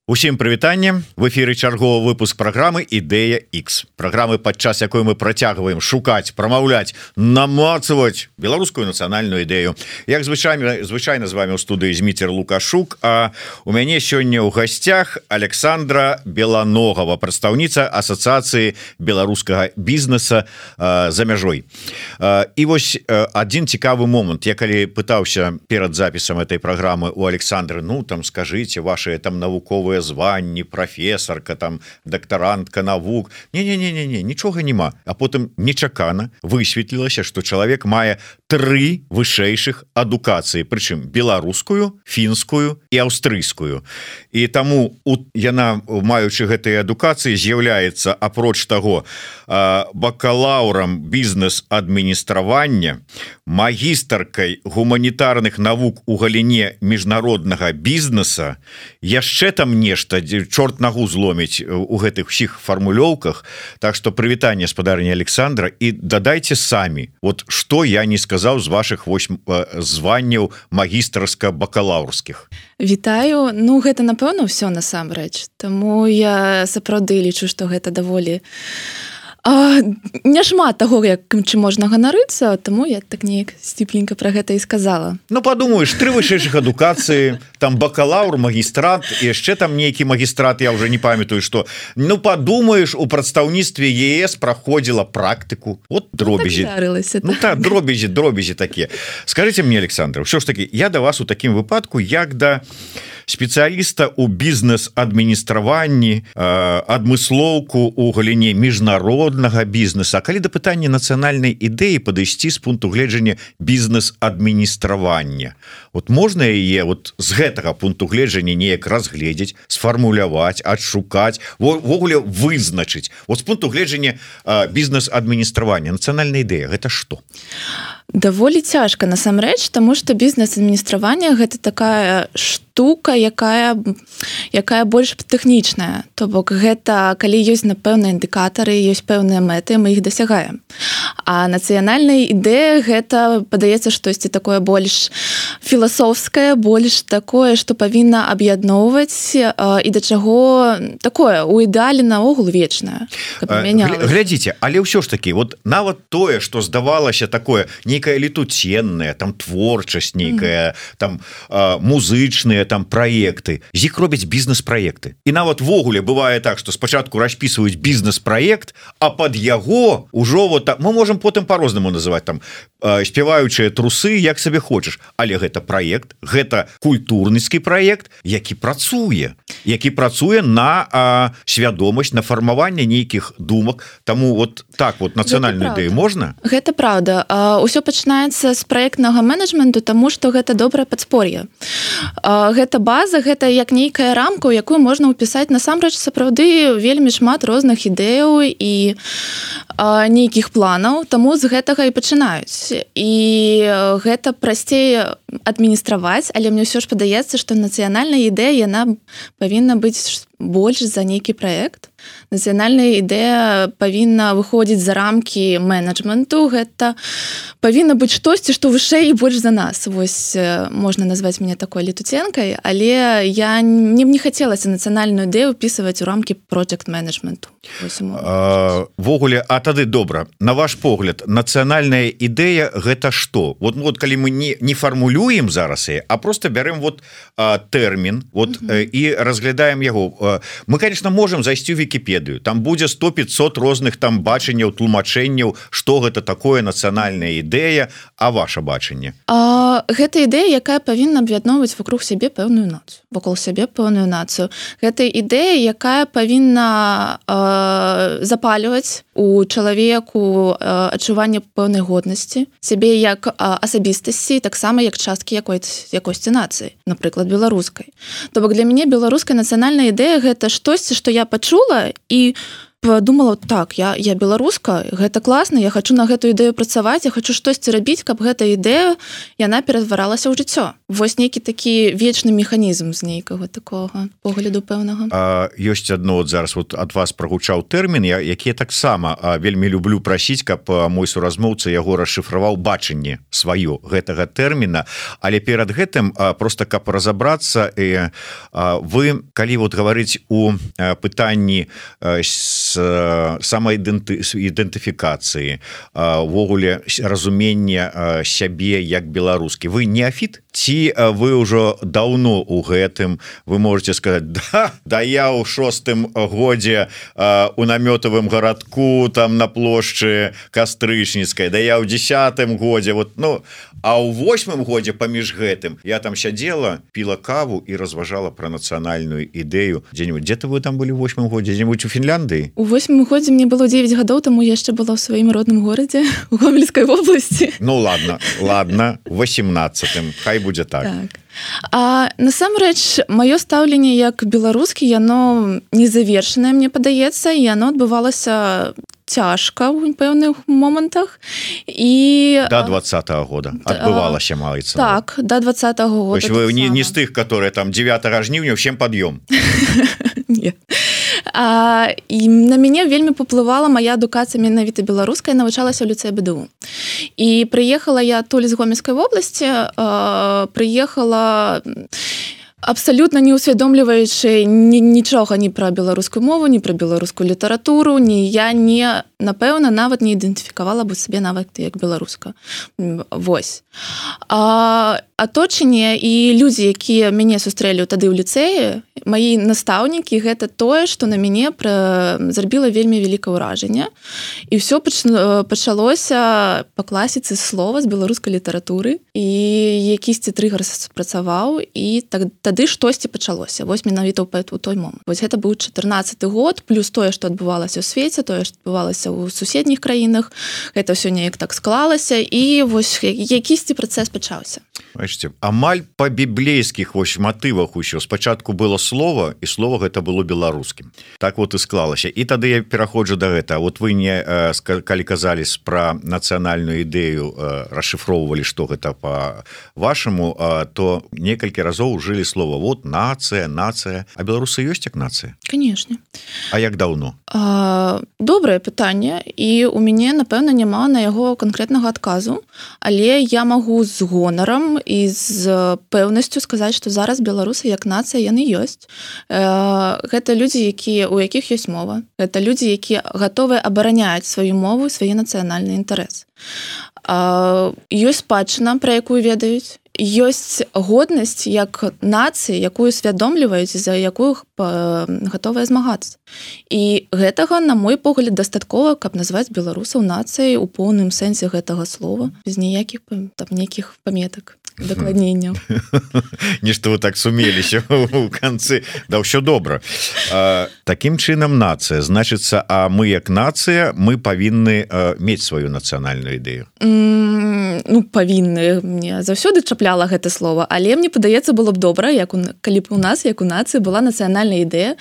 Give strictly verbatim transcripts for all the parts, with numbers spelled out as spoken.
Усім прывітанне, в эфіры чарговы выпуск праграмы Ідэя X. Праграмы, падчас якой мы працягваем шукаць, прамаўляць, намацаваць беларускую нацыянальную ідэю. Як звычайна, звычайна з вами ў студыі Зміцер Лукашук, а у мяне сёння ў гасцях Александра Беланогова, прадстаўніца Асацыяцыі беларускага бізнеса э, за мяжой. Э, і вось э, адзін цікавы момант. Я калі пытаўся перад запісам этой праграмы у Александры, ну там скажыце ваши там навуковыя званні, прафесарка, там дактарантка навук. Не-не-не-не, нічога няма. А потым нечакана высветлілася, што чалавек мае тры вышэйшых адукацыі, прычым беларускую, фінскую і аўстрыйскую. І таму у, яна, маючы гэтыя адукацыі, з'яўляецца, апроч таго, бакалаўрам бізнес-адміністравання, магістаркай гуманітарных навук у галіне міжнароднага бізнеса, яшчэ там нешта, чорт нагу зломіць у гэтых усіх фармулёўках. Так што прывітанне, спадарыня Александра, і дадайце самі, вот што я не сказаў з вашых восьм званняў магістарска-бакалаўрскіх. Вітаю. Ну, гэта, напэўна, ўсё насамрэч. Таму я сапраўды лічу, што гэта даволі А, няшмат таго, як чым можна ганарыцца, таму я так неяк сціпленька пра гэта і сказала. Ну, падумаеш, тры вышэйшых адукацыі, там бакалаўр, магістрат, і яшчэ там нейкі магістрат, я ўжо не памятаю, што. Ну, падумаеш, у прадстаўніцтве ЕС праходзіла практыку. Вот дробязі. Ну, так, ну, так, дробязі, дробязі такія. Скажыце мне, Александр, ўсё ж такі, я да вас у такім выпадку, як да спецыяліста ў бізнес-адміністраванні, адмыслоўку ў галіне міжнароднага бізнеса. А калі да пытання нацыянальнай ідэі падысці з пункту гледжання бізнес-адміністравання, вот можна яе вот з гэтага пункту гледжання неяк разгледзець, сфармуляваць, адшукаць, ввогуле вызначыць. Вот з пункту гледжання бізнес-адміністравання, нацыянальная ідэя, гэта што? Даволі цяжка насамрэч, таму што бізнес-адміністраванне гэта такая штука, якая якая больш тэхнічная. То бок гэта калі ёсць напэўныя індыкатары, ёсць пэўныя мэты, мы іх дасягаем. А нацыянальная ідэя гэта падаецца штосьці такое больш філасофскае, больш такое, што павінна аб'ядноўваць і да чаго такое у ідэале наогул вечнае. Глядзіце, але ўсё ж такі, вот нават тое, што здавалася такое нейкая летуценная, там творчасць нейкая, mm-hmm. там а, музычныя там праекты, з іх робяць бізнес-праекты. І нават ввогуле бывае так, што спачатку распісваюць бізнес-праект, а пад яго ўжо вот мы можам потым по-рознаму называць там а, спяваючыя трусы, як сабе хочаш, але гэта праект, гэта культурніцкі праект, які працуе, які працуе на а, свядомасць, на фармаванне нейкіх думак. Таму вот так вот нацыянальную ідэю можна? Гэта праўда. А, усё пачынаецца з праектнага менеджменту, таму што гэта добрае падспор'е. Гэта база, гэта як нейкая рамка, у якую можна ўпісаць насамрэч сапраўды вельмі шмат розных ідэяў і а, нейкіх планаў, таму з гэтага і пачынаюць. І гэта прасцей адміністраваць, але мне ўсё ж падаецца, што нацыянальная ідэя, яна павінна быць больш за нейкі праект. Нацыянальная ідэя павінна выходзіць за рамкі менеджменту, гэта павінна быць штосьці, што вышэй і больш за нас. Вось можна назваць мяне такой летуценкай, але я не, не хацелася нацыянальную ідэю ўпісваць у рамкі проджект-менеджменту. Ввогуле, а тады добра, на ваш погляд, нацыянальная ідэя гэта што? Вот, вот калі мы не, не фармулюем зараз яе, а просто бярем вот а, тэрмін вот, mm-hmm. і разглядаем яго. Мы, конечно, можем зайсці ў Вікіпедыю. Там будзе сто пятьсот розных там бачанняў, тлумачэнняў, што гэта такое нацыянальная ідэя, а ваше бачанне? А, гэта ідэя, якая павінна аб'ядноўваць вокруг сябе пэўную нацыю, вакол сябе пэўную нацыю. Гэта ідэя, якая павінна а, запальваць у чалавеку а, адчуванне пэўнай годнасці, сябе як а, асабістасці, таксама як часткі якой-то якосці нацыі, напрыклад, беларускай. То бок для мяне беларуская нацыянальная ідэя гэта штосьці, што я пачула і подумала, так, я, я беларуска, гэта класна, я хочу на гэту ідэю працаваць, я хочу штосьці рабіць, каб гэта ідэя, яна ператваралася ў жыццё. Вось нейкі такі вечны механізм з нейкага такога погляду пэўнага. А, ёсць адно, от зараз вот ад вас прагучаў тэрмін, я, які я таксама вельмі люблю прасіць, каб мой суразмоўца яго расшыфраваў бачанне сваё гэтага тэрміна, але перад гэтым просто каб разабрацца, вы, калі вот гаварыць у пытанні самаідэнтыфікацыі, увогуле разумення сябе як беларускі, вы неафіт? Ці вы ўжо даўно ў гэтым, вы можете сказаць, да, да я ў шостым годзе у намётавым гарадку там на плошчы Кастрычніцкай, да я ў дзесятым годзе, вот, ну, а ў восьмым годзе паміж гэтым я там сядзела, піла каву і разважала пра нацыянальную ідэю дзе-нибудь. Дзе-то вы там былі ў восьмым годзе, дзе-нибудь у Фінляндыі? У восьмым годзе мне было дзевяць гадоў, таму яшчэ была ў сваім родным горадзе у Гомельскай вобласці. Ну ладно, ладно, восемнадцатым, хай будзе так. Так. А насамрэч, маё стаўленне як беларускі, яно незавершанае, мне падаецца, і яно адбывалася цяжка ў пэўных момантах. І до двадцатого года адбывалася, маецца. Так, до двадцатого года. То есть вы не, не з тых, которые там девятого жніўня всем пад'ём. Не. А, і на мяне вельмі паплывала моя адукацыя менавіта беларуская, навучалася ў ліцэі БДУ. І прыехала я адтуль з Гомельскай вобласці, а, прыехала абсалютна не усвядомліваючы нічога ні пра беларускую мову, ні пра беларускую літаратуру, ні я не, напэўна, нават не ідэнтыфікавала бы сабе нават як беларуска. Вось. А аточанне і людзі, якія мяне сустрэлі тады ў ліцэі, маі настаўнікі, гэта тое, што на мяне пра... зрабіла вельмі вялікае ўражанне. І ўсё пачалося па класіцы слова з беларускай літаратуры, і якісьці трыгар спрацаваў, і так, тады штосьці пачалося. Вось менавіта ў той момант. Вось гэта быў чатырнаццаты год, плюс тое, што адбывалася ў свеце, тое, што адбывалася ў суседніх краінах, гэта ўсё неяк так склалася, і вось якісьці працэс пачаўся. Бачыце, амаль па біблейскіх вось матывах усё. Спачатку было слова, і слова гэта было беларускім. Так вот і склалася. І тады я пераходжу да гэта. Вот вы не, калі казалі пра нацыянальную ідэю, расшыфроўвалі, што гэта па-вашаму, то некалькі разоў ужылі слова. Вот нацыя, нацыя. А беларусы ёсць як нацыя? Канешне. А як даўно? А, добрае пытанне, і у мяне, напэўна, няма на яго канкрэтнага адказу, але я магу з гонарам і з пэўнасцю сказаць, што зараз беларусы як нацыя яны ёсць. Гэта людзі, якія, у якіх ёсць мова. Гэта людзі, якія гатовыя абараняць сваю мову і свае нацыянальныя інтарэсы. Ёсць спадчына, пра якую ведаюць. Ёсць годнасць як нацыі, якую свядомліваюць, за якую гатовыя змагацца. І гэтага, на мой погляд, дастаткова, каб назваць беларусаў нацыяй у поўным сэнсе гэтага слова, без ніякіх там нейкіх паметак, дакладненняў. Нешта вы так сумеліся ў канцы. Да ўсё добра. Такім чынам нацыя. Значыцца, а мы як нацыя, мы павінны мець сваю нацыянальную ідэю. Ну, павінны. Мне заўсёды чапляла гэта слова, але мне падаецца, было б добра, як у, калі б у нас, як у нацыі, была нацыянальная ідэя,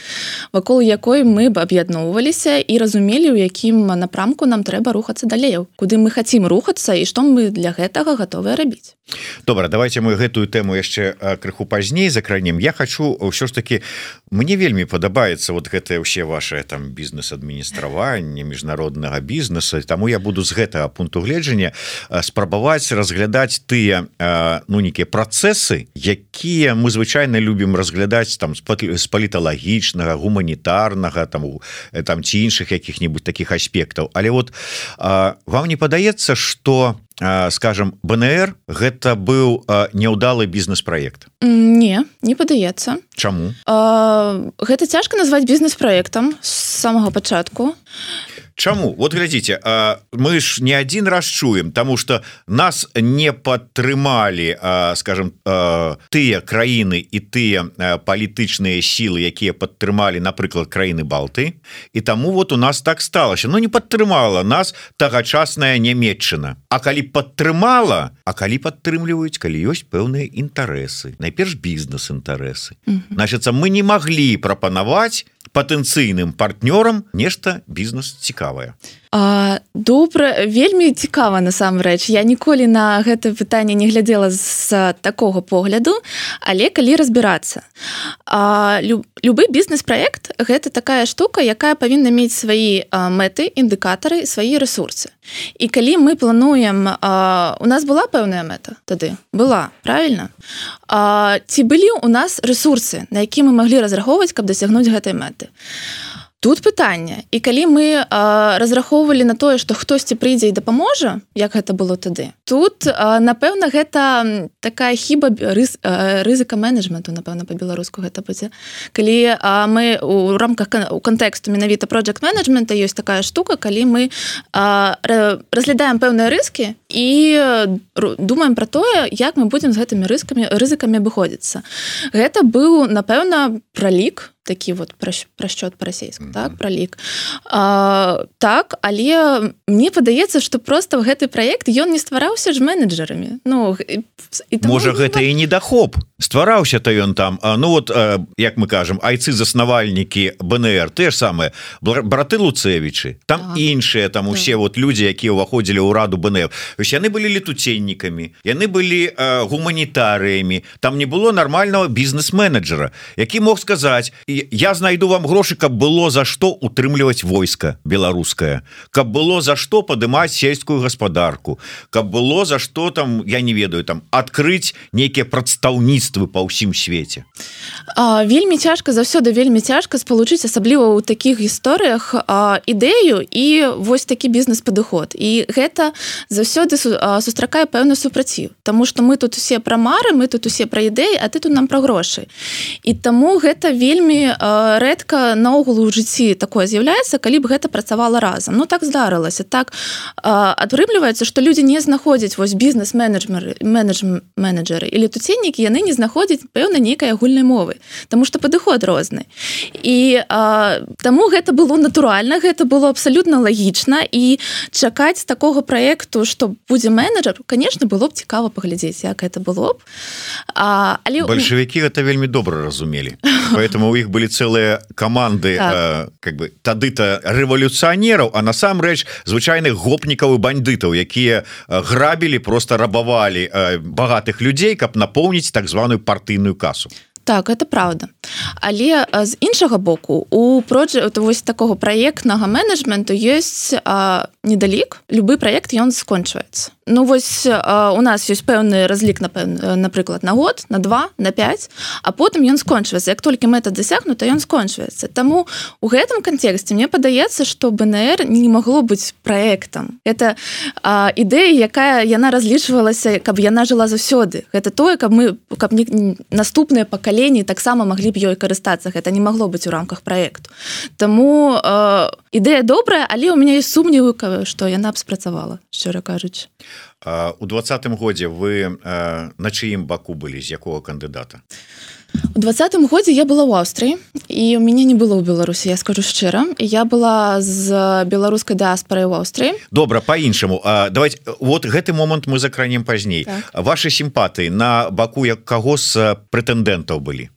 вакол якой мы б аб'ядноўваліся і разумелі, у якім напрамку нам трэба рухацца далей, куды мы хацім рухацца і што мы для гэтага гатовыя рабіць. Добра, давайте мы гэтую тэму яшчэ крыху пазней закранем. Я хочу ўсё ж таки, мне вельмі падабаецца вот гэтае ўсе ваше там бізнес-адміністраванне міжнароднага бізнесу, таму я буду з гэтага пункту гледжання спрабаваць разглядаць тыя ну нейкія працэсы, якія мы звычайна любім разглядаць там з паліталагічнага, гуманітарнага там, там ці іншых якіх-небудзь такіх аспектаў. Але вот вам не падаецца, што скажем, БНР гэта быў няўдалы бізнес-праект? Не, не падаецца. Чаму? Гэта цяжка назваць бізнес-праектам з самага пачатку. Чаму? Вот глядзіце, мы ж не адзін раз чуем, таму што нас не падтрымалі, скажем, тыя краіны і тыя палітычныя сілы, якія падтрымалі, напрыклад, краіны Балты, і таму вот у нас так сталася. Ну, не падтрымала нас тагачасная Нямецчына. А калі падтрымала, а калі падтрымліваюць, калі ёсць пэўныя інтарэсы, найперш бізнес-інтарэсы. Mm-hmm. Значыцца, мы не маглі прапанаваць патэнцыйным партнёрам нешта бізнес цікавае? А, добра, вельмі цікава насамрэч. Я ніколі на гэта пытанне не глядзела з такога погляду, але калі разбірацца. А, люб, любы бізнес-праект гэта такая штука, якая павінна мець свае а, мэты, індыкатары, свае рэсурсы. І калі мы плануем, а, у нас была пэўная мэта тады? Была, правильно? А, ці былі у нас рэсурсы, на які мы маглі разрахоўваць, каб дасягнуць гэтай мэты? Тут пытанне. І калі мы а, разрахоўвалі на тое, што хтосьці прыйдзе і дапаможа, як гэта было тады, тут, а, напэўна, гэта такая хіба рыз, а, рызыка менеджменту, напэўна, па-беларуску гэта будзе. Калі а, мы у рамках у кантэксту менавіта project менеджмента ёсць такая штука, калі мы а, разглядаем пэўныя рызыкі і думаем пра тое, як мы будзем з гэтымі рызыкамі, рызыкамі абыходзіцца. Гэта быў, напэўна, пралік, такі вот прасчёт па-расейску, mm-hmm. так, пралік. А, так, але мне падаецца, што проста гэты праект, ён не ствараўся ж менеджерамі. Ну, і таму... Можа, гэта і недахоп. Ствараўся-то ён там, а, ну вот, а, як мы кажам, айцы-заснавальнікі бэ эн эр, те ж самыя, браты Луцевічы, там так. іншыя, там усе так. вот людзі, якія ўваходзілі ў раду бэ эн эр. Вось яны былі летуценнікамі, яны былі а, гуманітарыямі, там не было нармальнага бізнес-менеджера, які мог сказаць, я знайду вам грошы, каб было за што утрымліваць войска беларускае, каб было за што падымаць сельскую гаспадарку, каб было за што там, я не ведаю, там адкрыць нейкія прадстаўніцтвы па ўсім свеце. А, вельмі цяжка, заўсёды вельмі цяжка спалучыць, асабліва ў такіх гісторыях а, ідэю і вось такі бізнес-падыход. І гэта заўсёды су, а, сустракае пэўны супраціў, таму што мы тут усе пра мары, мы тут усе пра ідэі, а ты тут нам пра грошы. І таму гэта вельмі рэдка наогул у жыцці такое з'яўляецца, калі б гэта працавала разам. Ну так здарылася, так атрымліваецца, што людзі не знаходзяць вось бізнес-менеджеры, менеджеры і летуценнікі, яны не знаходзяць пэўна нейкай агульнай мовы, таму што падыход розны. І а, таму гэта было натуральна, гэта было абсалютна лагічна, і чакаць такога праекту, што будзе менеджер, конечно, было б цікава паглядзець, як гэта было б. А, але... Бальшавікі гэта вельмі добра разумелі, поэтому у іх были целые команды так. э, как бы тады-то рэвалюцыянераў, а насамрэч звычайных гопнікаў і бандытаў, якія грабілі, просто рабавалі э, багатых людзей, каб напоўніць так званую партыйную касу. Так, это правда. Але з іншага боку, у проджект, вось такого праектнага менеджменту ёсць а, недалік. Любы праект, ён скончваецца. Ну, вось а, у нас ёсць пэўны разлік, напрыклад, на год, на два, на пять, а потым ён скончваецца. Як толькі мэта дасягнута, ён скончваецца. Таму у гэтым кантэксце мне падаецца, што бэ эн эр не магло быць праектам. Это а, ідэя, якая яна разлічвалася, каб яна жыла заўсёды. Гэта тое, каб мы, каб не, наступныя пакаленні таксама маглі б ёй карыстацца. Гэта не магло быць у рамках праекту. Таму а, ідэя добрая, але ў мяне ёсць сумневы, што яна б спрацавала, шчыра кажучы. У двадцатым годзе вы э, на чыім баку былі, з якога кандыдата? У двадцатым годзе я была ў Аўстрыі, і у мяне не было ў Беларусі, я скажу шчыра. Я была з беларускай дыаспорай у Аўстрыі. Добра, па-іншаму. Давайте, вот гэты момант мы закранем пазней. Так. Вашы сімпатыі на баку як каго з прэтэндэнтаў былі?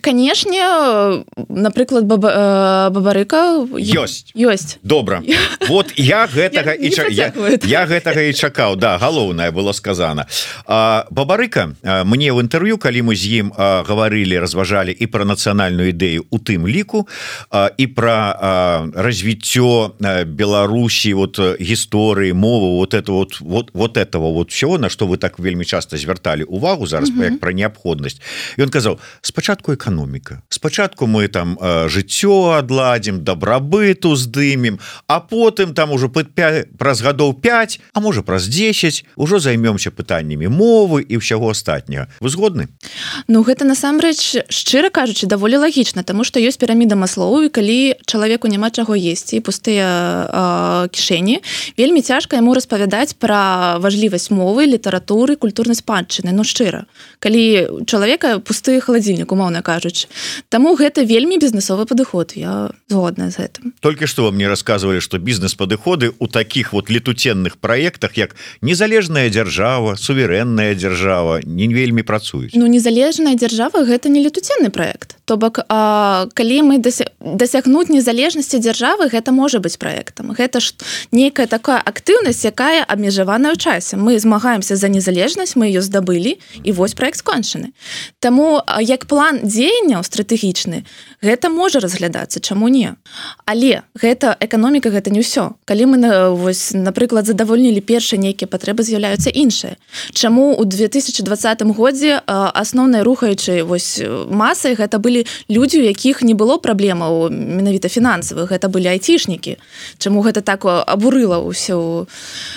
Канешне, напрыклад, баба, Бабарыка ёсць. Ёсць. Добра. Вот я гэтага і ча... я, я гэтага і чакаў. Да, галоўнае было сказана. А, Бабарыка, мне ў інтэрв'ю, калі мы з ім а, гаварылі, разважалі і пра нацыянальную ідэю у тым ліку, а, і пра а, развіццё Беларусі, вот гісторыі, мовы, вот это вот, вот, вот этого вот всего, на што вы так вельмі часта звярталі увагу зараз, mm-hmm. як пра неабходнасць. Ён казаў, спачатку эканоміка, спачатку мы там э, жыццё адладзім, дабрабыту здымем, а потым там ужо праз гадоў пять, а можа праз десять ужо займёмся пытаннямі мовы і ўсяго астатняга. Вы згодны? Ну гэта насамрэч, шчыра кажучы, даволі лагічна, таму што ёсць піраміда Маслоу, і калі чалавеку няма чаго есці і пустыя э, кішэні, вельмі цяжка яму распавядаць пра важлівасць мовы, літаратуры, культурнай спадчыны. Ну шчыра, калі чалавека пусты халадзільнік, умоўна кажучы. Таму гэта вельмі бізнесовы падыход, я згодная з гэтым. Толькі што вы мне рассказывалі, што бізнес-падыходы у такіх вот летуценных праектах, як незалежная дзяржава, суверэнная дзяржава, не вельмі працуюць. Ну, незалежная дзяржава гэта не летуценны праект. То бок, а, калі мы дасягнуць незалежнасці дзяржавы, гэта можа быць праектам. Гэта ж нейкая такая актыўнасць, якая абмежаваная ў часе. Мы змагаемся за незалежнасць, мы ее здабылі, і вось праект скончаны. Таму як план дзеянняў стратэгічны, гэта можа разглядацца, чаму не. Але гэта эканоміка, гэта не ўсё. Калі мы, вось, напрыклад, задавольнілі першыя нейкія патрэбы, з'яўляюцца іншыя. Чаму ў две тысячы двадцатым годзе асноўнай рухаючай вось масай гэта былі людзі, у якіх не было праблемаў менавіта фінансавых, гэта былі айцішнікі. Чаму гэта так абурыла ўсю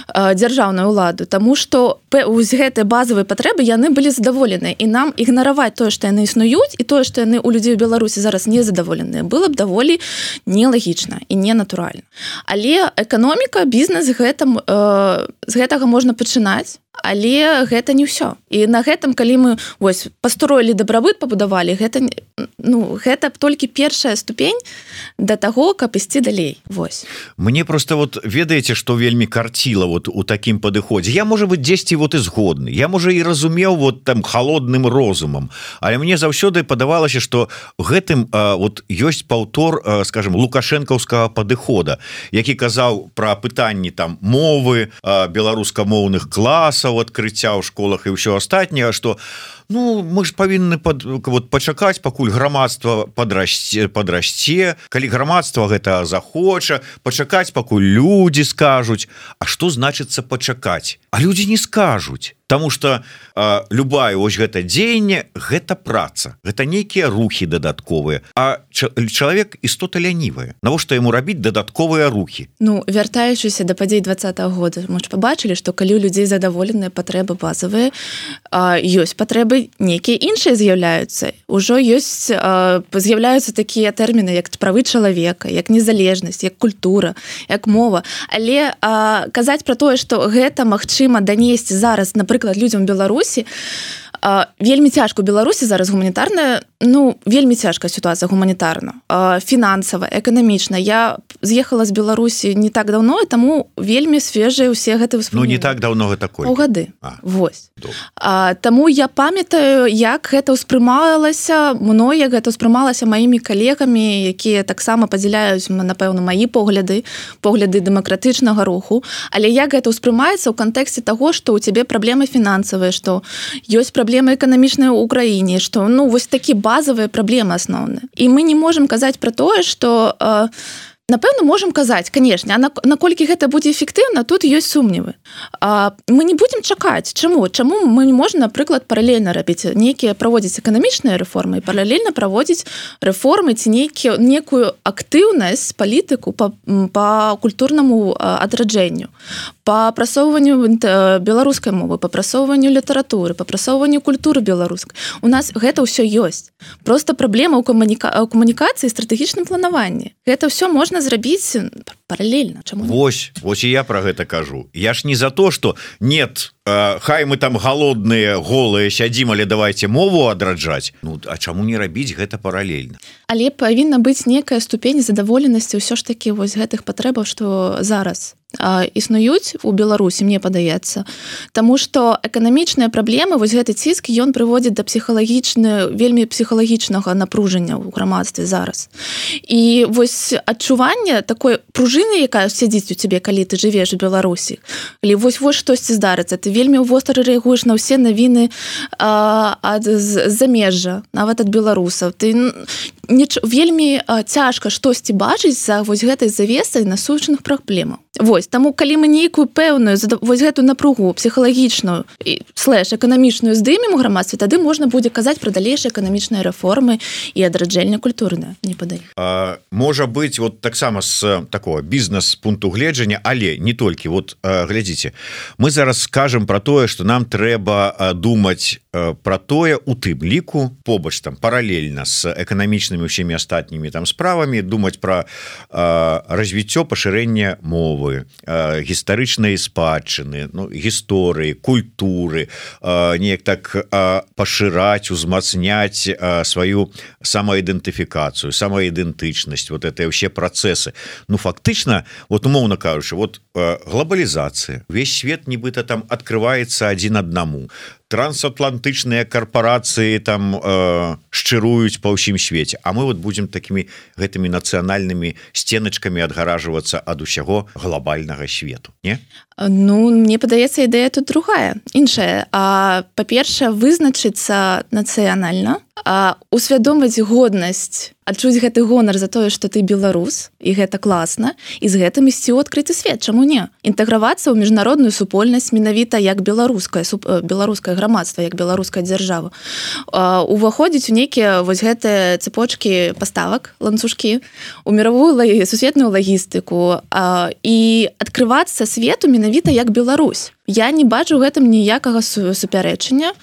дзяржаўную ўладу? Таму што вось гэтыя базавыя патрэбы яны былі задаволеныя, і нам ігнараваць тое, што яны існуюць, і тое, што яны ў людзей у Беларусі зараз незадаволеныя, было б даволі нелагічна і ненатуральна. Але эканоміка, бізнес, гэта, э, з гэтага можна пачынаць, але гэта не ўсё. І на гэтым, калі мы вось пастроілі дабрабыт, пабудавалі, гэта, ну, гэта толькі першая ступень да таго, каб ісці далей. Вось. Мне просто вот ведаеце, што вельмі карціла вот у такім падыходзе. Я, можа быць, дзесьці вот і згодны. Я, можа, і разумеў вот там халодным розумам, але мне заўсёды падавалася, што гэтым а, вот ёсць паўтор, а, скажем, лукашэнкаўскага падыхода, які казаў пра пытанні там мовы, а, беларускамоўных класаў, адкрыцця ў школах і ўсё астатняе, што ну мы ж павінны пад, вот, пачакаць, пакуль грамадства падрасце, падрасце, калі грамадства гэта захоча, пачакаць, пакуль людзі скажуць. А што значыцца пачакаць? А людзі не скажуць. Таму што а, любая вось гэта дзеянне, гэта праца, гэта нейкія рухі дадатковыя, а чалавек істота лянівая. Навошта яму рабіць дадатковыя рухі? Ну, вяртаючыся да падзей двадцатага года, мы ж пабачылі, што калі у людзей задаволеныя патрэбы базавыя, а, ёсць патрэбы нейкія іншыя з'яўляюцца. Ужо ёсць, а, з'яўляюцца такія тэрміны, як правы чалавека, як незалежнасць, як культура, як мова. Але а, казаць пра тое, што гэта магчыма данесці зараз, напрыклад, людзям у Беларусі, вельмі цяжка у Беларусі зараз гуманітарная, ну, вельмі цяжкая сітуацыя гуманітарна, фінансава, эканамічна. Я з'ехала з Беларусі не так даўно, і таму вельмі свежыя ўсе гэтыя ўспаміны. Ну, не так даўно гэта такое. Паўгады. Вось. А, таму я памятаю, як гэта ўспрымалася мной, як гэта ўспрымалася маімі калегамі, якія таксама падзяляюць, напэўна, маі погляды, погляды дэмакратычнага руху, але як гэта ўспрымаецца ў кантэксце таго, што ў цябе праблемы фінансавыя, што ёсць праблемы эканамічныя ў краіне, што, ну, вось такі базавыя праблемы асноўныя. І мы не можам казаць пра тое, што э, напэўна, можам казаць, канешне, а наколькі гэта будзе эфектыўна, тут ёсць сумневы. А, мы не будзем чакаць. Чаму? Чаму мы не можем, напрыклад, паралельна рабіць нейкія праводзіць эканамічныя рэформы і паралельна праводзіць рэформы ці нейкі, некую актыўнасць, палітыку па, па культурнаму адраджэнню, па прасоўванню беларускай мовы, па прасоўванню літаратуры, па прасоўванню культуры беларускай. У нас гэта ўсё ёсць. Проста праблема ў камуніка... камунікацыі і стратэгічным планаванні. Гэта ўсё можна зрабіць паралельна. Чаму? Вось, вось і я про гэта кажу. Я ж не за то, что нет, э, хай мы там голодныя, голыя сядзім, але давайте мову адраджаць. Ну, а чаму не рабіць гэта паралельна? Але павінна быць некая ступень задаволенасці ўсё ж такі вось гэтых патрэбаў, што зараз існуюць у Беларусі, мне падаецца. Таму што эканамічныя праблемы, вось гэты ціск, ён прыводзіць да псіхалагічна, вельмі псіхалагічнага напружання ў грамадстве зараз. І вось адчуванне такой пружыны, якая сядзіць у цябе, калі ты жывеш у Беларусі, калі вось вось штосьці здарыцца, ты вельмі востра рэагуеш на ўсе навіны а, ад замежжа, нават ад беларусаў. Ты не, вельмі а, цяжка штосьці бачыць за вось гэтай завесай насущных праблемаў. Вось, таму калі мы нейкую пэўную вось гэту напругу псіхалагічную і слэш эканамічную здымем у грамадстве, тады можна будзе казаць пра далейшыя эканамічныя рэформы і адраджэнне культурнае, не падае. А, можа быць вот таксама з такого бізнес-пункту гледжання, але не толькі. Вот а, глядзіце, мы зараз скажам пра тое, што нам трэба а, думаць а, пра тое у тым ліку побач там паралельна з эканамічнай гістарычнымі ўсімі астатнімі там справамі, думаць пра развіццё пашырэння мовы, гістарычнай спадчыны, ну, гісторыі, культуры, неяк так пашыраць, узмацняць сваю самаідэнтыфікацыю, самаідэнтычнасць, вот это ўсе працэсы. Ну фактычна, вот умоўна кажучы, вот глобалізацыя, увесь свет нібыта там открываецца адзін аднаму. Трансатлантычныя карпорацыі там э, шчыруюць па ўсім свеце, а мы вот будем такими гэтымі нацыянальнымі стеначкамі адгаражвацца ад усяго глобальнага свету, не? Ну, мне падаецца, ідэя тут другая, іншая. Па-першае, вызначыцца нацыянальна, усвядоміць годнасць, адчуць гэты гонар за тое, што ты беларус, і гэта класна, і з гэтым ісці ў адкрыты свет, чаму не? Інтэгравацца ў міжнародную супольнасць менавіта як беларускае, беларускае грамадства, як беларуская дзяржава. Уваходзіць у нейкія вось гэтыя цепочкі паставак, ланцужкі, у мировую сусветную лагістыку і адкрывацца свету менавіта як Беларусь. Я не бачу гэтым ніякага супярэчання.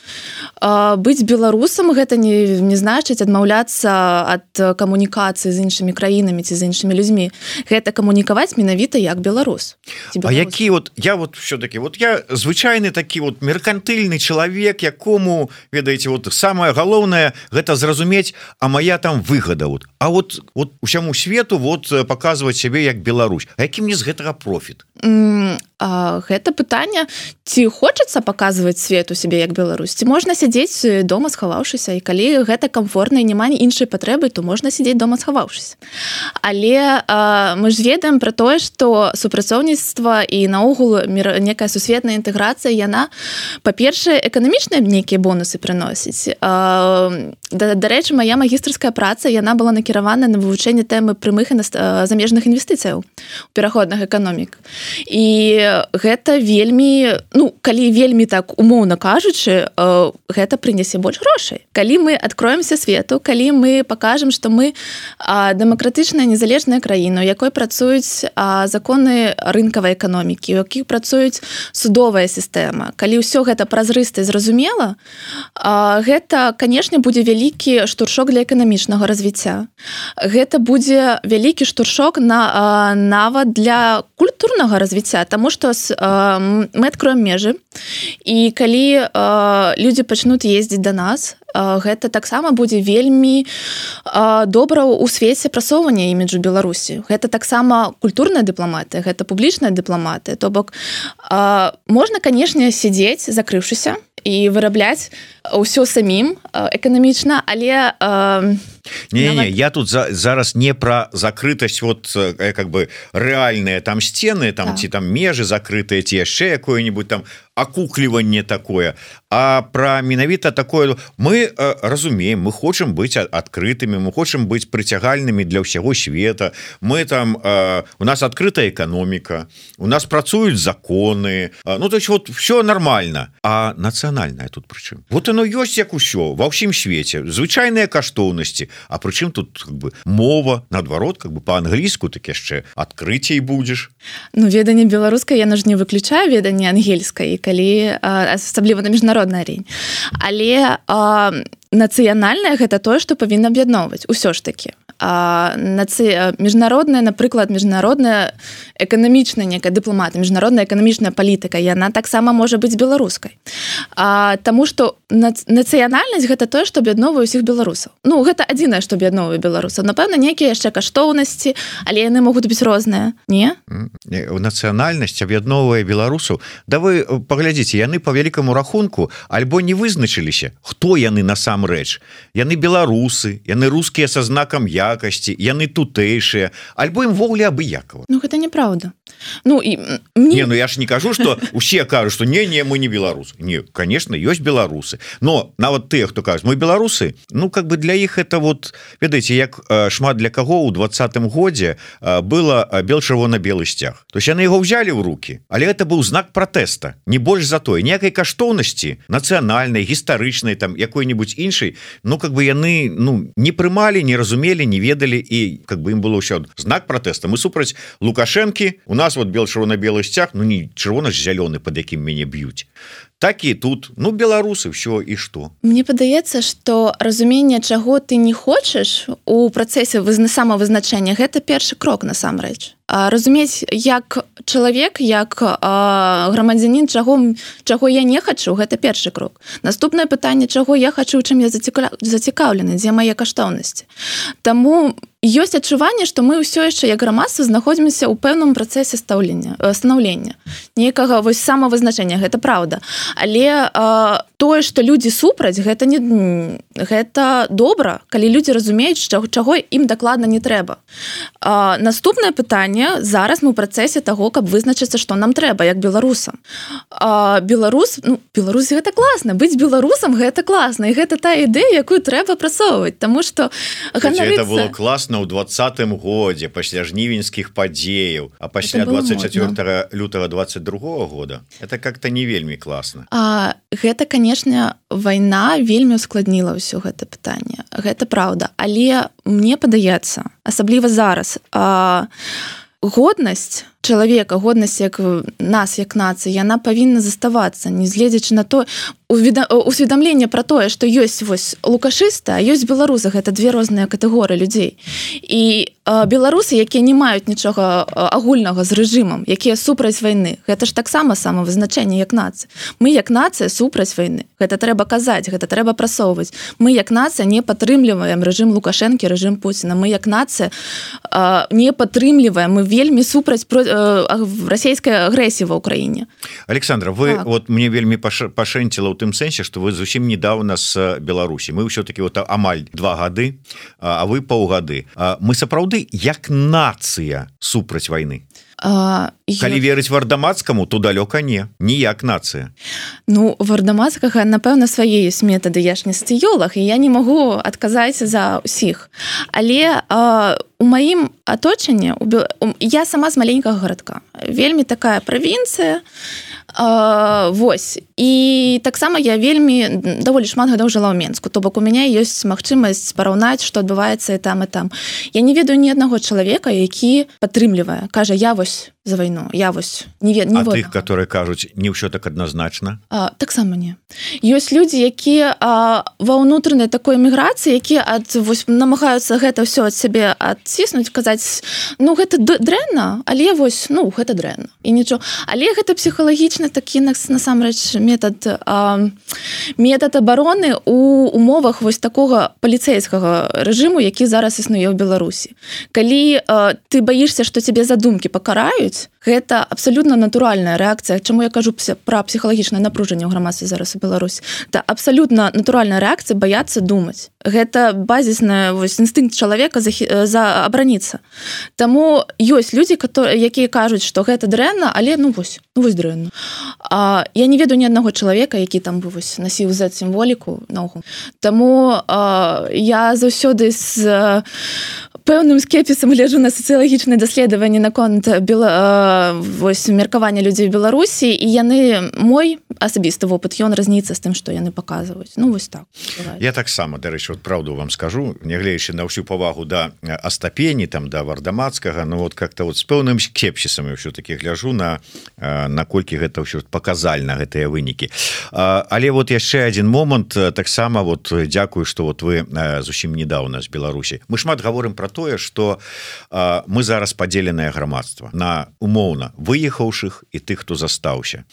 Быць беларусам гэта не, не значыць адмаўляцца ад камунікацыі з іншымі краінамі ці з іншымі людзьмі. Гэта камунікаваць менавіта як беларус. А які вот, я вот все-таки, вот я звычайны такі вот меркантыльны чалавек, якому, ведаеце, вот самае галоўнае гэта зразумець, а моя там выгода. Вот. А вот, вот усяму свету вот паказваць сябе як Беларусь. А які мне з гэтага профіт? Mm, а, гэта пытанне, ці хочацца паказваць свету сябе як Беларусь, ці можна сядзець дома схаваўшыся, і калі гэта комфортна і няма іншай патрэбы, то можна сядзець дома схаваўшыся. Але а, мы ж ведаем пра тое, што супрацоўніцтва і наогул некая сусветная інтэграцыя, яна, па-першае, эканамічныя нейкія бонусы прыносіць. А, да, дарэчы, моя магістарская праца, яна была накіравана на вывучэнне тэмы прямых і замежных інвестыцыяў у пераходных эканомік. І гэта вельмі, ну, калі вельмі так умоўна кажучы, гэта прынясе больш грошай. Калі мы адкроемся свету, калі мы пакажам, што мы дэмакратычная незалежная краіна, у якой працуюць законы рынкавай эканомікі, у якіх працуюць судовая сістэма, калі ўсё гэта празрыста і зразумела, гэта, канешне, будзе вялікі штуршок для эканамічнага развіцця. Гэта будзе вялікі штуршок на, нават для культурнага развіцця, таму што мы адкроем межы, і калі людзі пачнуць ездзіць да нас, гэта таксама будзе вельмі добра ў свеце прасоўвання іміджу Беларусі. Гэта таксама культурная дыпламатыя, гэта публічная дыпламатыя. То бок, можна, канешне, сядзець, закрыўшыся, і вырабляць ўсё самім эканамічна, але не, не, я тут за, зараз не про закрытасць, вот как бы рэальныя там сцены, там, ці там межы закрытыя, ці яшчэ якое-нибудь там акукліванне такое, а про менавіта такое. Мы э, разумеем, мы хочам быць адкрытымі, мы хочам быць прыцягальнымі для ўсяго света. Мы там э, у нас адкрытая эканоміка, у нас працуюць законы, э, ну то есть вот все нормально. А нацыянальная тут прычым? Вот оно ёсць як усё ва ўсім свеце, звычайныя каштоўнасці. А прычым тут как бы мова, наадварот, как бы по-англійску так яшчэ адкрыцей будзеш. Ну, веданне беларускай яно ж не выключае веданне ангельскай, калі асабліва на міжнароднай арэне. Але а, нацыянальнае гэта тое, што павінна аб'ядноўваць усё ж такі. А, наци... міжнародная, напрыклад, міжнародная эканамічная некая дыпламатыя, міжнародная эканамічная палітыка, яна таксама можа быць беларускай. А, таму што нац... нацыянальнасць гэта тое, што аб'ядноўвае ўсіх беларусаў. Ну, гэта адзінае, што аб'ядноўвае беларусаў. Напэўна, нейкія яшчэ каштоўнасці, але яны могуць быць розныя, не? Нацыянальнасць аб'ядноўвае беларусаў. Да вы паглядзіце, яны по вялікаму рахунку альбо не вызначыліся, хто яны насамрэч. Яны беларусы, яны рускія са знакам я, якасці, яны тутэйшыя, альбо ім ввогуле абыякава. Ну, гэта неправда. Ну, і мне... Не, ну я ж не кажу, што усе кажуць, што не, не, мы не беларусы. Не, конечно, ёсць беларусы. Но нават тыя, хто кажуць, мы беларусы, ну, как бы для іх это вот, ведаеце, як шмат для каго ў двадцатым годзе было бел-чырвона-белы сцяг. То есть яны яго ўзялі ў рукі, але это быў знак пратэста, не больш за тое. Ніякай каштоўнасці нацыянальнай, гістарычнай, там, якой-нибудь іншай, ну, как бы яны, ну, не прымалі, не разумелі, не ведалі, і как бы ім было ўсё знак пратэста. Мы супраць Лукашэнкі, у нас вот бел-чырвона-белы сцяг, ну не чырвона ж зялёны, под якім мяне б'юць. так і тут ну беларусы все і што. Мне падаецца, што разуменне, чаго ты не хочаш у працэсе самавызначэння, гэта першы крок насамрэч. Разумець, як чалавек, як грамадзянін, чаго, чаго я не хачу, гэта першы крок. Наступнае пытанне, чаго я хачу, чым я зацікаўлены, дзе мае каштоўнасці. Таму ёсць адчуванне, што мы ўсё яшчэ як грамадства знаходзімся ў пэўным працэсе станаўлення, нейкага вось самавызначэння, гэта праўда. Але а, тое, што людзі супраць, гэта не гэта добра, калі людзі разумеюць, чаго, чаго ім дакладна не трэба. А, наступнае пытанне, зараз мы ў працэсе таго, каб вызначыцца, што нам трэба, як беларусам. А, беларус, ну, беларус гэта класна, быць беларусам гэта класна, і гэта тая ідэя, якую трэба прасоўваць, таму што ганарыцца... Это было класна ў двадцатым годзе пасля жнівеньскіх падзеяў, а пасля двадцать четвёртого лютага двадцать другого года это как-то не вельмі класна. А, гэта, канешне, вайна вельмі ускладніла ўсё гэта пытанне. Гэта праўда, але мне падаецца, асабліва зараз, а, годнасць чалавека, годнасць як нас як нацыі, яна павінна заставацца, негледзячы на то, усведамленне пра тое, што ёсць вось лукашысты, а ёсць беларусы, гэта две розныя катэгорыі людзей. І а, беларусы, якія не маюць нічога агульнага з рэжымам, якія супраць вайны, гэта ж таксама самавызначэнне як нацыя. Мы як нацыя супраць вайны. Гэта трэба казаць, гэта трэба прасоўваць. Мы як нацыя не падтрымліваем рэжым Лукашэнкі, рэжым Пуціна. Мы як нацыя а, не падтрымліваем, мы вельмі супраць расійскай агрэсіі ва ўкраіне. Александра, вы так. Вот мне вельмі пашэнціла ў тым сэнсе, што вы зусім недавно з Беларусі. Мы ўсё-таки вот амаль два гады, а вы паўгады. Мы сапраўды як нацыя супраць вайны. А, калі я... верыць Вардамацкаму, то далёка не, ніяк нацыя. Ну, Вардамацкага, напэўна, свае ёсць метады, я ж не сацыёлаг, і я не магу адказаць за ўсіх. Але а, у маім аточанні, я сама з маленькага гарадка, вельмі такая правінцыя, а, вось, і таксама я вельмі даволі шмат гадоў жыла ў Менску, то бок у мяне ёсць магчымасць параўнаць, што адбываецца і там, і там. Я не ведаю ні аднаго чалавека, які падтрымлівае, кажа, я вось за вайну, я вось не ведаю. А тых, которые кажуць, не ўсё так адназначна? А, таксама не. Ёсць людзі, якія а, ва ўнутранай такой эміграцыі, якія ад, вось, намагаюцца гэта ўсё ад сябе адціснуць, казаць, ну, гэта дрэнна, але вось, ну, гэта дрэнна. І нічого. Але гэта псіхалагічны такі, насамрэч, метад, а, метад абароны у умовах вось такога паліцэйскага рэжыму, які зараз існуе ў Беларусі. Калі а, ты баішся, што цябе за думкі пакараюць, гэта абсалютна натуральная рэакцыя. Чаму я кажу пра псіхалагічнае напружанне ў грамадстве зараз у Беларусі? Это абсалютна натуральная рэакцыя баяцца думаць. Гэта базісны вось інстынкт чалавека за, за абараніцца. Таму ёсць людзі, якія кажуць, што гэта дрэнна, але ну вось, ну вось дрэнна. А я не ведаю ні аднаго чалавека, які там бы вось насіў зэт-сімволіку ногу. Таму а, я заўсёды з пэўным скепсісам гляджу на сацыялагічныя даследаванні наконт бела, вось, меркавання людзей у Беларусі, і яны, мой асабісты вопыт, ён разніцца з тым, што яны паказваюць. Ну, вось так. Я таксама, дарэчы, вот правду вам скажу, нягледзячы на ўсю павагу да Астапені, там, да Вардамацкага, ну, вот как-то вот з пэўным скепсісам я ўсё-таки гляжу на, наколькі гэта ўсё паказальна, гэтыя вынікі. Але вот яшчэ адзін момант, таксама, вот, дзякую, што вот вы зусім недавно з Беларусі. Мы шмат гаворым пра тое, што а, мы зараз падзеленае грамадства на умоўна выехаўшых і тых, хто застаўся.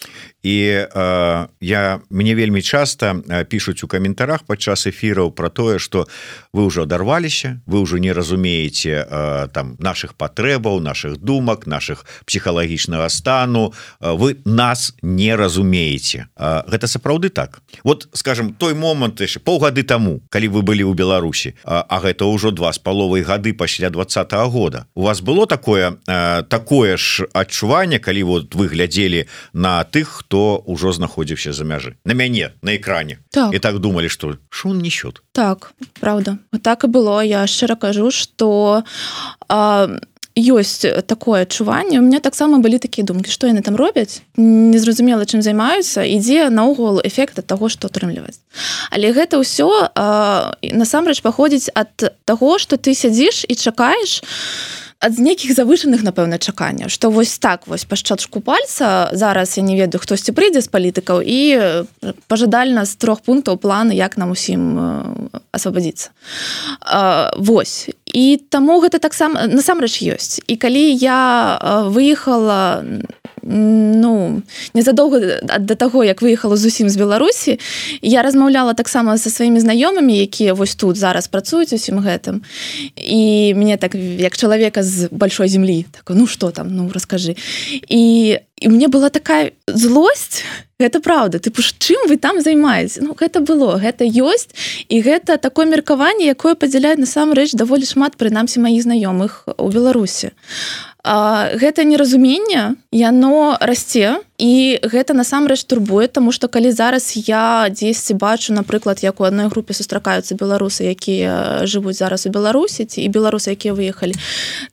І а, я мне вельмі часта пішуць у каментарах падчас эфіраў пра тое, што вы ўжо адарваліся, вы ўжо не разумееце а, там нашых патрэбаў, нашых думак, нашых псіхалагічнага стану, а, вы нас не разумееце. А, гэта сапраўды так. Вот, скажем, той момант яшчэ паўгады таму, калі вы былі ў Беларусі, а, а гэта ўжо два з паловай гады пасля двадцатого года. У вас было такое э, такое ж адчуванне, калі вот вы глядзелі на тых, хто ўжо знаходзіўся за мяжы, на мяне на экране, так. І так думалі, што шо он несёт? Так, правда. Так і было. Я шчыра кажу, што а, ёсць такое адчуванне. У меня таксама былі такія думкі, што яны там робяць, незразумела, чым займаюцца, ідзе наогул эфект ад таго, што атрымліваць. Але гэта ўсё а, насамрэч паходзіць ад таго, што ты сядзіш і чакаеш ад нейкіх завышаных, напэўна, чаканняў, што вось так вось па шчотчку пальца зараз я не ведаю, хтосьці прыйдзе з палітыкаў і пажадальна з трох пунктаў планы, як нам усім асвабадзіцца. Вось. І таму гэта таксама насамрэч ёсць. І калі я выехала ну, незадоўга да таго, як выехала зусім з Беларусі, я размаўляла таксама са сваімі знаёмымі, якія вось тут зараз працуюць усім гэтым. І мне так, як чалавека з большой землі, так, ну што там, ну раскажы. І, і мне была такая злосць, гэта праўда, тыпу, чым вы там займаеце? Ну, гэта было, гэта ёсць, і гэта такое меркаванне, якое падзяляе насамрэч даволі шмат, прынамсі, маіх знаёмых у Беларусі. А, гэта неразуменне, яно расце, і гэта насамрэч турбуе, таму што калі зараз я дзесьці бачу, напрыклад, як у адной групе сустракаюцца беларусы, якія жывуць зараз у Беларусі, і беларусы, якія выехалі,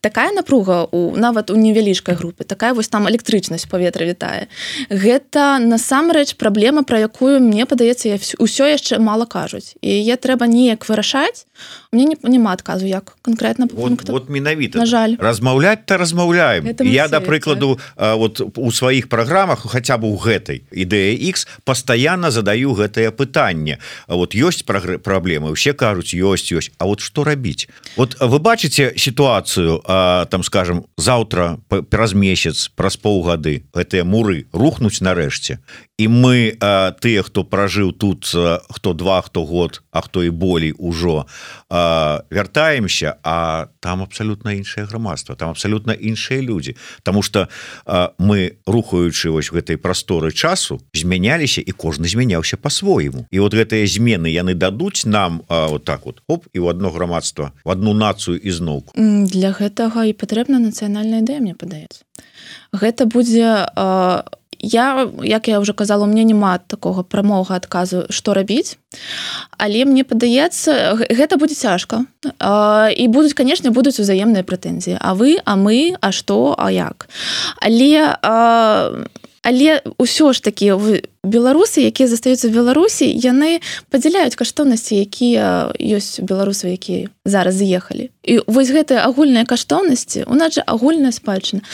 такая напруга у, нават у невялічкай групе, такая вось там электрычнасць паветра вітае. Гэта насамрэч праблема, пра якую, мне падаецца, ўсё яшчэ мала кажуць. І яе трэба неяк вырашаць. У мяне няма адказу, як канкрэтна по пункту. Вот, вот менавіта. На жаль. Размаўляць-то размаўляем. Я, да прыкладу, вот у сваіх праграмах, хаця бы ў гэтай ідэя X, пастаянна задаю гэтае пытанне. Вот ёсць праблемы, усе кажуць, ёсць, ёсць. А вот што рабіць? Вот вы бачыце сітуацыю, там, скажем, заўтра, праз месяц, праз паўгады, гэтыя муры рухнуць нарэшце. І мы, тыя, хто пражыў тут, хто два, хто год, а хто і болей ужо, вяртаемся, а там абсалютна іншае грамадства, там абсалютна іншыя людзі. Таму што мы, рухаючы вось гэтай прасторы часу, змяняліся, і кожны змяняўся па-свойму. І вот гэтыя змены яны дадуць нам вот так вот, оп, і ў адно грамадства, в адну нацыю ізноўку. Для гэтага і патрэбна нацыянальная ідэя, мне падаецца. Гэта будзе... Я, як я ўжо казала, у мяне няма такога прамога адказу, што рабіць, але мне падаецца, гэта будзе цяжка. І будуць, канешне, будуць узаемныя прэтэнзіі. А вы, а мы, а што, а як? Але, але ўсё ж такі беларусы, якія застаюцца в Беларусі, яны падзяляюць каштоўнасці, якія ёсць у беларусаў, якія зараз з'ехалі. І вось гэтыя агульныя каштоўнасці, у нас жа агульная спадчына.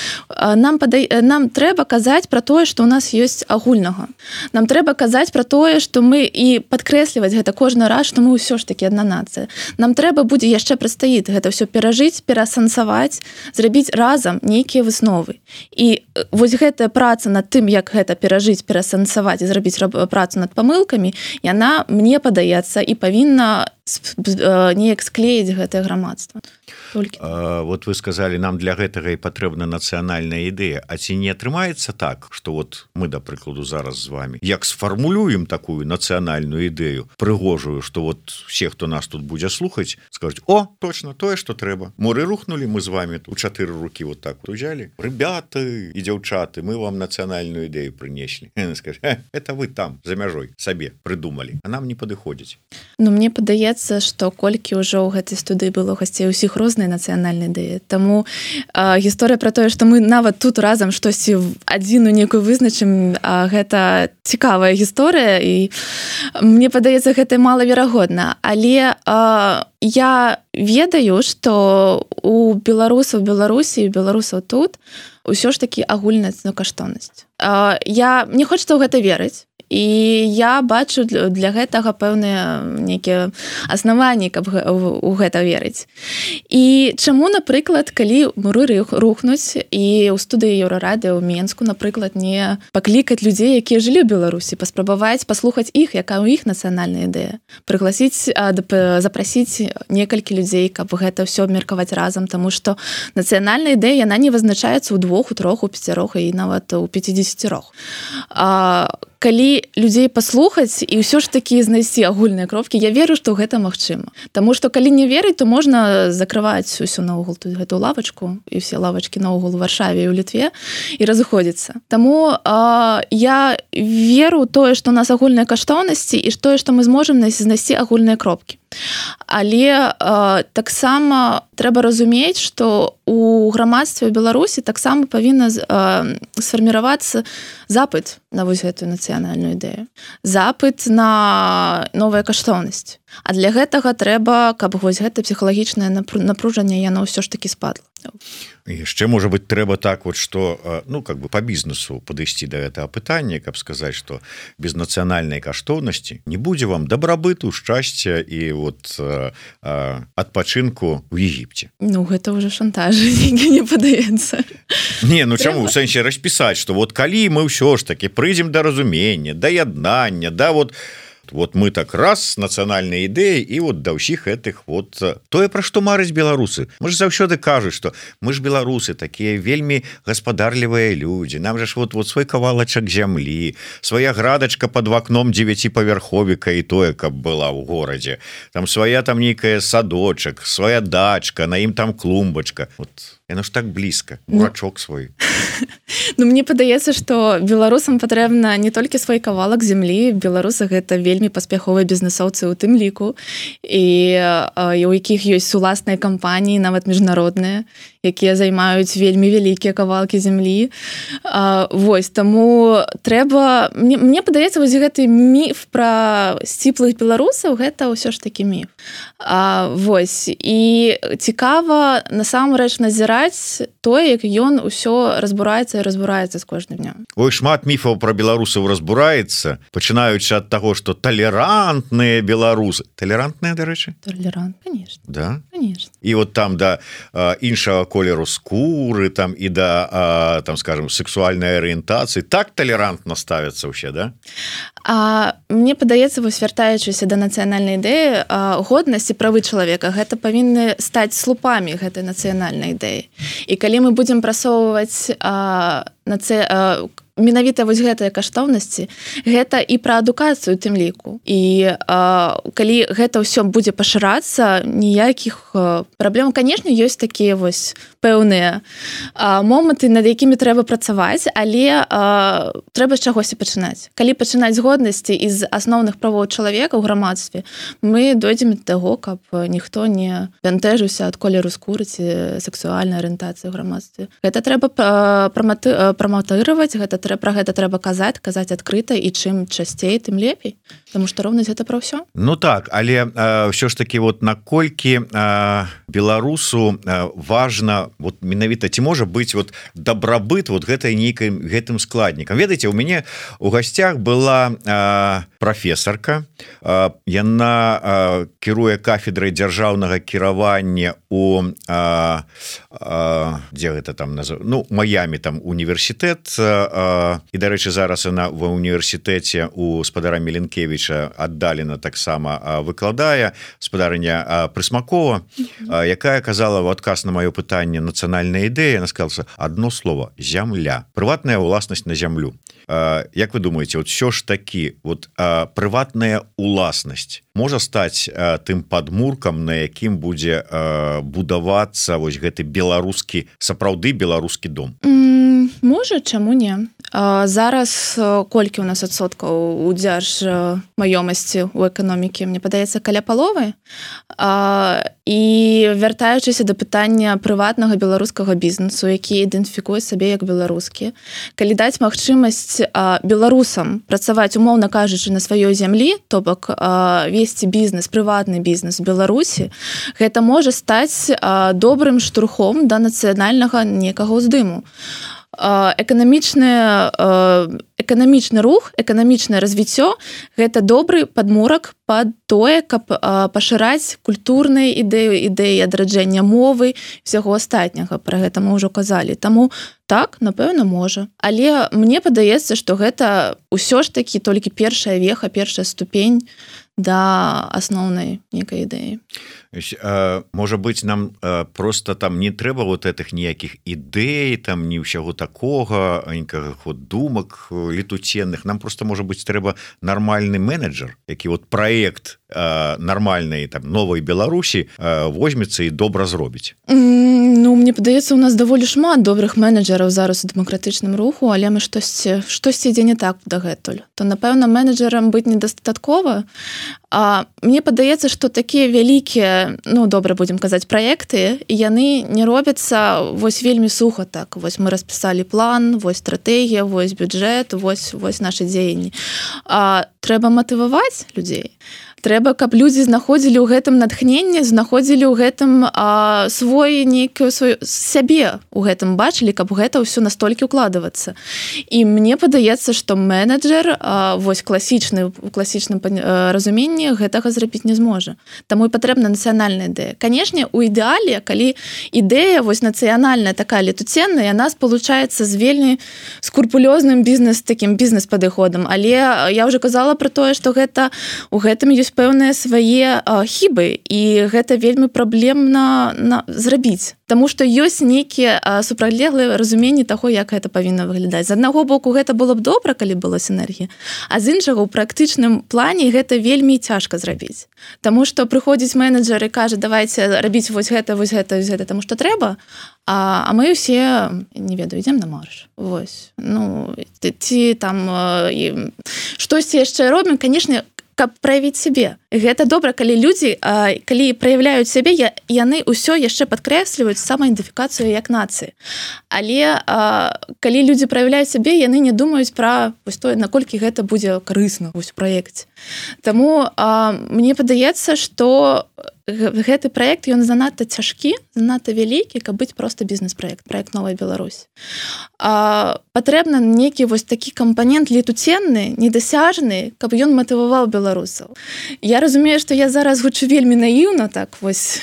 Нам, падай... Нам трэба казаць пра тое, што ў нас ёсць агульнага. Нам трэба казаць пра тое, што мы і падкрэсліваць гэта кожны раз, што мы ўсё ж такі адна нацыя. Нам трэба будзе яшчэ прадстаіць гэта ўсё перажыць, перасэнсаваць, зрабіць разам нейкія высновы. І вось гэтая праца над тым, як гэта перажыць, перасэнсаваць, зрабіць працу над памылкамі, яна, мне падаецца, і павінна неяк склеіць гэтае грамадства. А, вот вы сказали, нам для гэтага і патрэбна нацыянальная ідэя. А ці не атрымаецца так, што вот мы, да прыкладу, зараз з вами, як сфармулюем такую нацыянальную ідэю, прыгожую, што вот все, хто нас тут будзе слухаць, скажуць: о, точно, тое, што трэба. Моры рухнули, мы з вами у чатыры рукі вот так вот узялі. Ребята і дзяўчаты, мы вам нацыянальную ідэю прынеслі. Скажу: это вы там, за мяжой, сабе прыдумалі, а нам не падыходзіць. Ну, мне падаецца, што колькі ўжо ў гэтай студыі было гасцей усіх розныя нацыянальныя ідэі. Таму а, гісторыя пра тое, што мы нават тут разам штосьці адзіную некую вызначым, а, гэта цікавая гісторыя, і мне падаецца, гэта малаверагодна. Але а, я ведаю, што у беларусаў Беларусі і беларусаў тут усё ж такі агульная каштоўнасць. А, я не хочацца ў гэта верыць. І я бачу для гэтага пэўныя нейкія аснаванні, каб у гэта верыць. І чаму, напрыклад, калі муры рухнуць і ў студыі Еўрарадыё ў Менску, напрыклад, не паклікаць людзей, якія жылі ў Беларусі, паспрабаваць паслухаць іх, якая ў іх нацыянальная ідэя, прыгласіць, запрасіць некалькі людзей, каб гэта ўсё абмеркаваць разам, таму што нацыянальная ідэя, яна не вызначаецца ў двух, у трох, у пяцярох і нават у пяцідзесяцірох. А калі людзей паслухаць і ўсё ж такі знайсці агульныя кропкі, я веру, што гэта магчыма. Таму што калі не верыць, то можна закрываць усю наогул тут гэту лавачку і все лавачкі наогул у Варшаве і ў Літве і разыходзіцца. Таму а, я веру тое, што у нас агульныя каштоўнасці і тое, што мы зможам знайсці агульныя кропкі. Але а, таксама трэба разумець, што у грамадстве Беларусі таксама павінна а, сфарміравацца запыт на вось гэтую нацыянальную ідэю. Запыт на новая каштоўнасць. А для гэтага трэба, каб вось гэта псіхалагічнае напружанне яно ўсё ж такі спадла. яшчэ можа быть трэба так вот что ну как бы по бізнесу падысці до этого пытання каб сказаць что без нацыянальнай каштоўнасці не будзе вам дабрабыту шчасця і вот адпачынку в Егіпце. Ну гэта уже шантаж не падаецца. Не, ну чаму в сэнсе распісаць что вот калі мы ўсё ж таки прыйдзем да разумення да яднання да вот вот мы так раз нацыянальнай ідэі і вот да ўсіх гэтых вот тое пра што марыць беларусы. Мы ж заўсёды кажуць что мы ж беларусы такія вельмі гаспадарлівыя людзі, нам же ж вот вот свой кавалачак зямлі, свая градачка под вакном дзевяціпавярховіка і тое каб была ў горадзе, там свая там нейкая садочак, свая дачка, на ім там клумбачка, вот яно ж так блізка, урачок свой. Ну мне падаецца что беларусам патрэбна не толькі свой кавалак зямлі, беларусы гэта вельмі паспяховыя бізнесоўцы у тым ліку і, і у якіх ёсць уласныя кампаніі нават міжнародныя, якія займаюць вельмі вялікія кавалкі зямлі. А, вось таму трэба мне, мне падаецца вось гэты міф пра сціплых беларусаў гэта ўсё ж такі міф. А, вось і цікава насамрэч назіраць тое як ён усё разбураецца і разбураецца з кожным днём. Ой, шмат міфаў пра беларусаў разбураецца, пачынаючы ад таго што талерантныя беларусы талерантныя дарэчы толерант конечно да конечно і вот там да а, іншага колеру скуры там і да а, там скажем сексуальнай арыентацыі так талерантна ставяцца ўсе да. А мне падаецца вось вяртаючыся да нацыянальнай ідэі годнасць і правы чалавека гэта павінны стаць слупамі гэтай нацыянальнай ідэі. І калі мы будзем прасоўваць нацэ менавіта вось гэтыя каштоўнасці гэта і пра адукацыю тым ліку і а, калі гэта ўсё будзе пашырацца ніякіх праблем канешне ёсць такія вось пэўныя а, моманты над якімі трэба працаваць але а, трэба з чагосьці пачынаць калі пачынаць з годнасці і з асноўных правоў чалавека ў грамадстве мы дойдзем да таго каб ніхто не бянтэжыўся ад колеру скуры ці сексуальнай арыентацыі ў грамадстве гэта трэба праматыраваць гэта трэба пра гэта трэба казаць казаць адкрыта і чым часцей тым лепей потому что роўнасць гэта пра ўсё. Ну так але ўсё ж таки вот наколькі а, беларусу а, важна вот менавіта ці можа быць вот дабрабыт вот гэтай нейкай гэтым складнікам. Ведаеце у мяне у гасцях была а, прафесарка а, яна а, кіруе кафедрай дзяржаўнага кіравання у а, а, дзе гэта там назва ну Майами там універсітэт а, і дарэчы зараз она ва універсітэце у спадара Меленкевіча аддалена таксама выкладае спадарыня Прысмакова якая казала в адказ на маё пытанне нацыянальная ідэя она сказала одно слово зямля прыватная уласнасць на зямлю. Як вы думаете вот все ж таки вот прыватная уласнасць можа стаць тым падмуркам на якім будзе будавацца вось гэты беларускі сапраўды беларускі дом? Можа чаму не зараз колькі у нас адсоткаў у дзярж маёмасці у эканомікі мне падаецца каля паловы і вяртаючыся да пытання прыватнага беларускага бізнесу які ідэнтыфікуе сабе як беларускі калі даць магчымасць беларусам працаваць умоўна кажучы на сваёй зямлі то бок весці бізнес прыватны бізнес у Беларусі гэта можа стаць добрым штурхом да нацыянальнага некага ўздыму. Эканамічны эканамічны рух эканамічнае развіццё гэта добры падмурак пад тое каб пашыраць культурныя ідэю ідэі адраджэння мовы всяго астатняга пра гэта мы ўжо казалі таму так напэўна можа але мне падаецца што гэта ўсё ж такі толькі першая веха першая ступень да асноўнай некай ідэі. Можа быць нам просто там не трэба вот этих ніякіх ідэй там не ўсяго такога нікага вот думак летуценных нам просто можа быць трэба нармальны менеджер які вот проект нармальнай там новай Беларусі возьмецца і добра зробіць. Ну мне падаецца у нас даволі шмат добрых менеджераў зараз у дэмакратычным руху але мы штосьці штосьці ідзе не так дагэтуль то напэўна менеджерам быць недастаткова. А мне падаецца што такія вялікія ну добра будзем казаць праекты яны не робяцца вось вельмі суха так вось мы распісалі план вось стратэгія вось бюджэт вось вось нашы дзеянні а трэба матываваць людзей трэба каб людзі знаходзілі ў гэтым натхненне, знаходзілі ў гэтым а, свой нейкую сваю сябе у гэтым бачылі, каб гэта ўсё настолькі укладвацца. І мне падаецца, што менеджер а, вось класічны у класічным разуменні гэтага зрабіць не зможа. Таму і патрэбна нацыянальная ідэя. Канешне, у ідэале, калі ідэя вось нацыянальная такая летуценная, яна спалучаецца з вельмі скрупулёзным бізнес такім бізнес-падыходам. Але я ўжо казала пра тое, што гэта у гэтым ёсць пэўныя свае а, хібы, і гэта вельмі праблемна на, зрабіць. Таму што ёсць нейкія супрацьлеглыя разуменні таго, як гэта павінна выглядаць. З аднаго боку, гэта было б добра, калі была сінергія, а з іншага, у практычным плане гэта вельмі цяжка зрабіць. Таму што прыходзіць менеджер і кажа, давайте рабіць вось гэта, вось гэта, вось гэта, таму што трэба, а, а мы ўсе, не ведаю, ідзем на марш. Вось. Ну, ці там штосьці яшчэ робім, канешне, каб праявіць сябе. Гэта добра, калі людзі, калі праяўляюць сябе, яны ўсё яшчэ падкрэсліваюць самаідэнтыфікацыю як нацыі. Але калі людзі праяўляюць сябе, яны не думаюць пра вось тое, наколькі гэта будзе карысна вось у праекце. Таму мне падаецца, што гэты праект, ён занадта цяжкі, занадта вялікі, каб быць проста бізнес-праект, праект «Новая Беларусь». А, патрэбна нейкі вось такі кампанент летуценны, недасяжны, каб ён матываваў беларусаў. Я разумею, што я зараз гучу вельмі наіўна, так вось,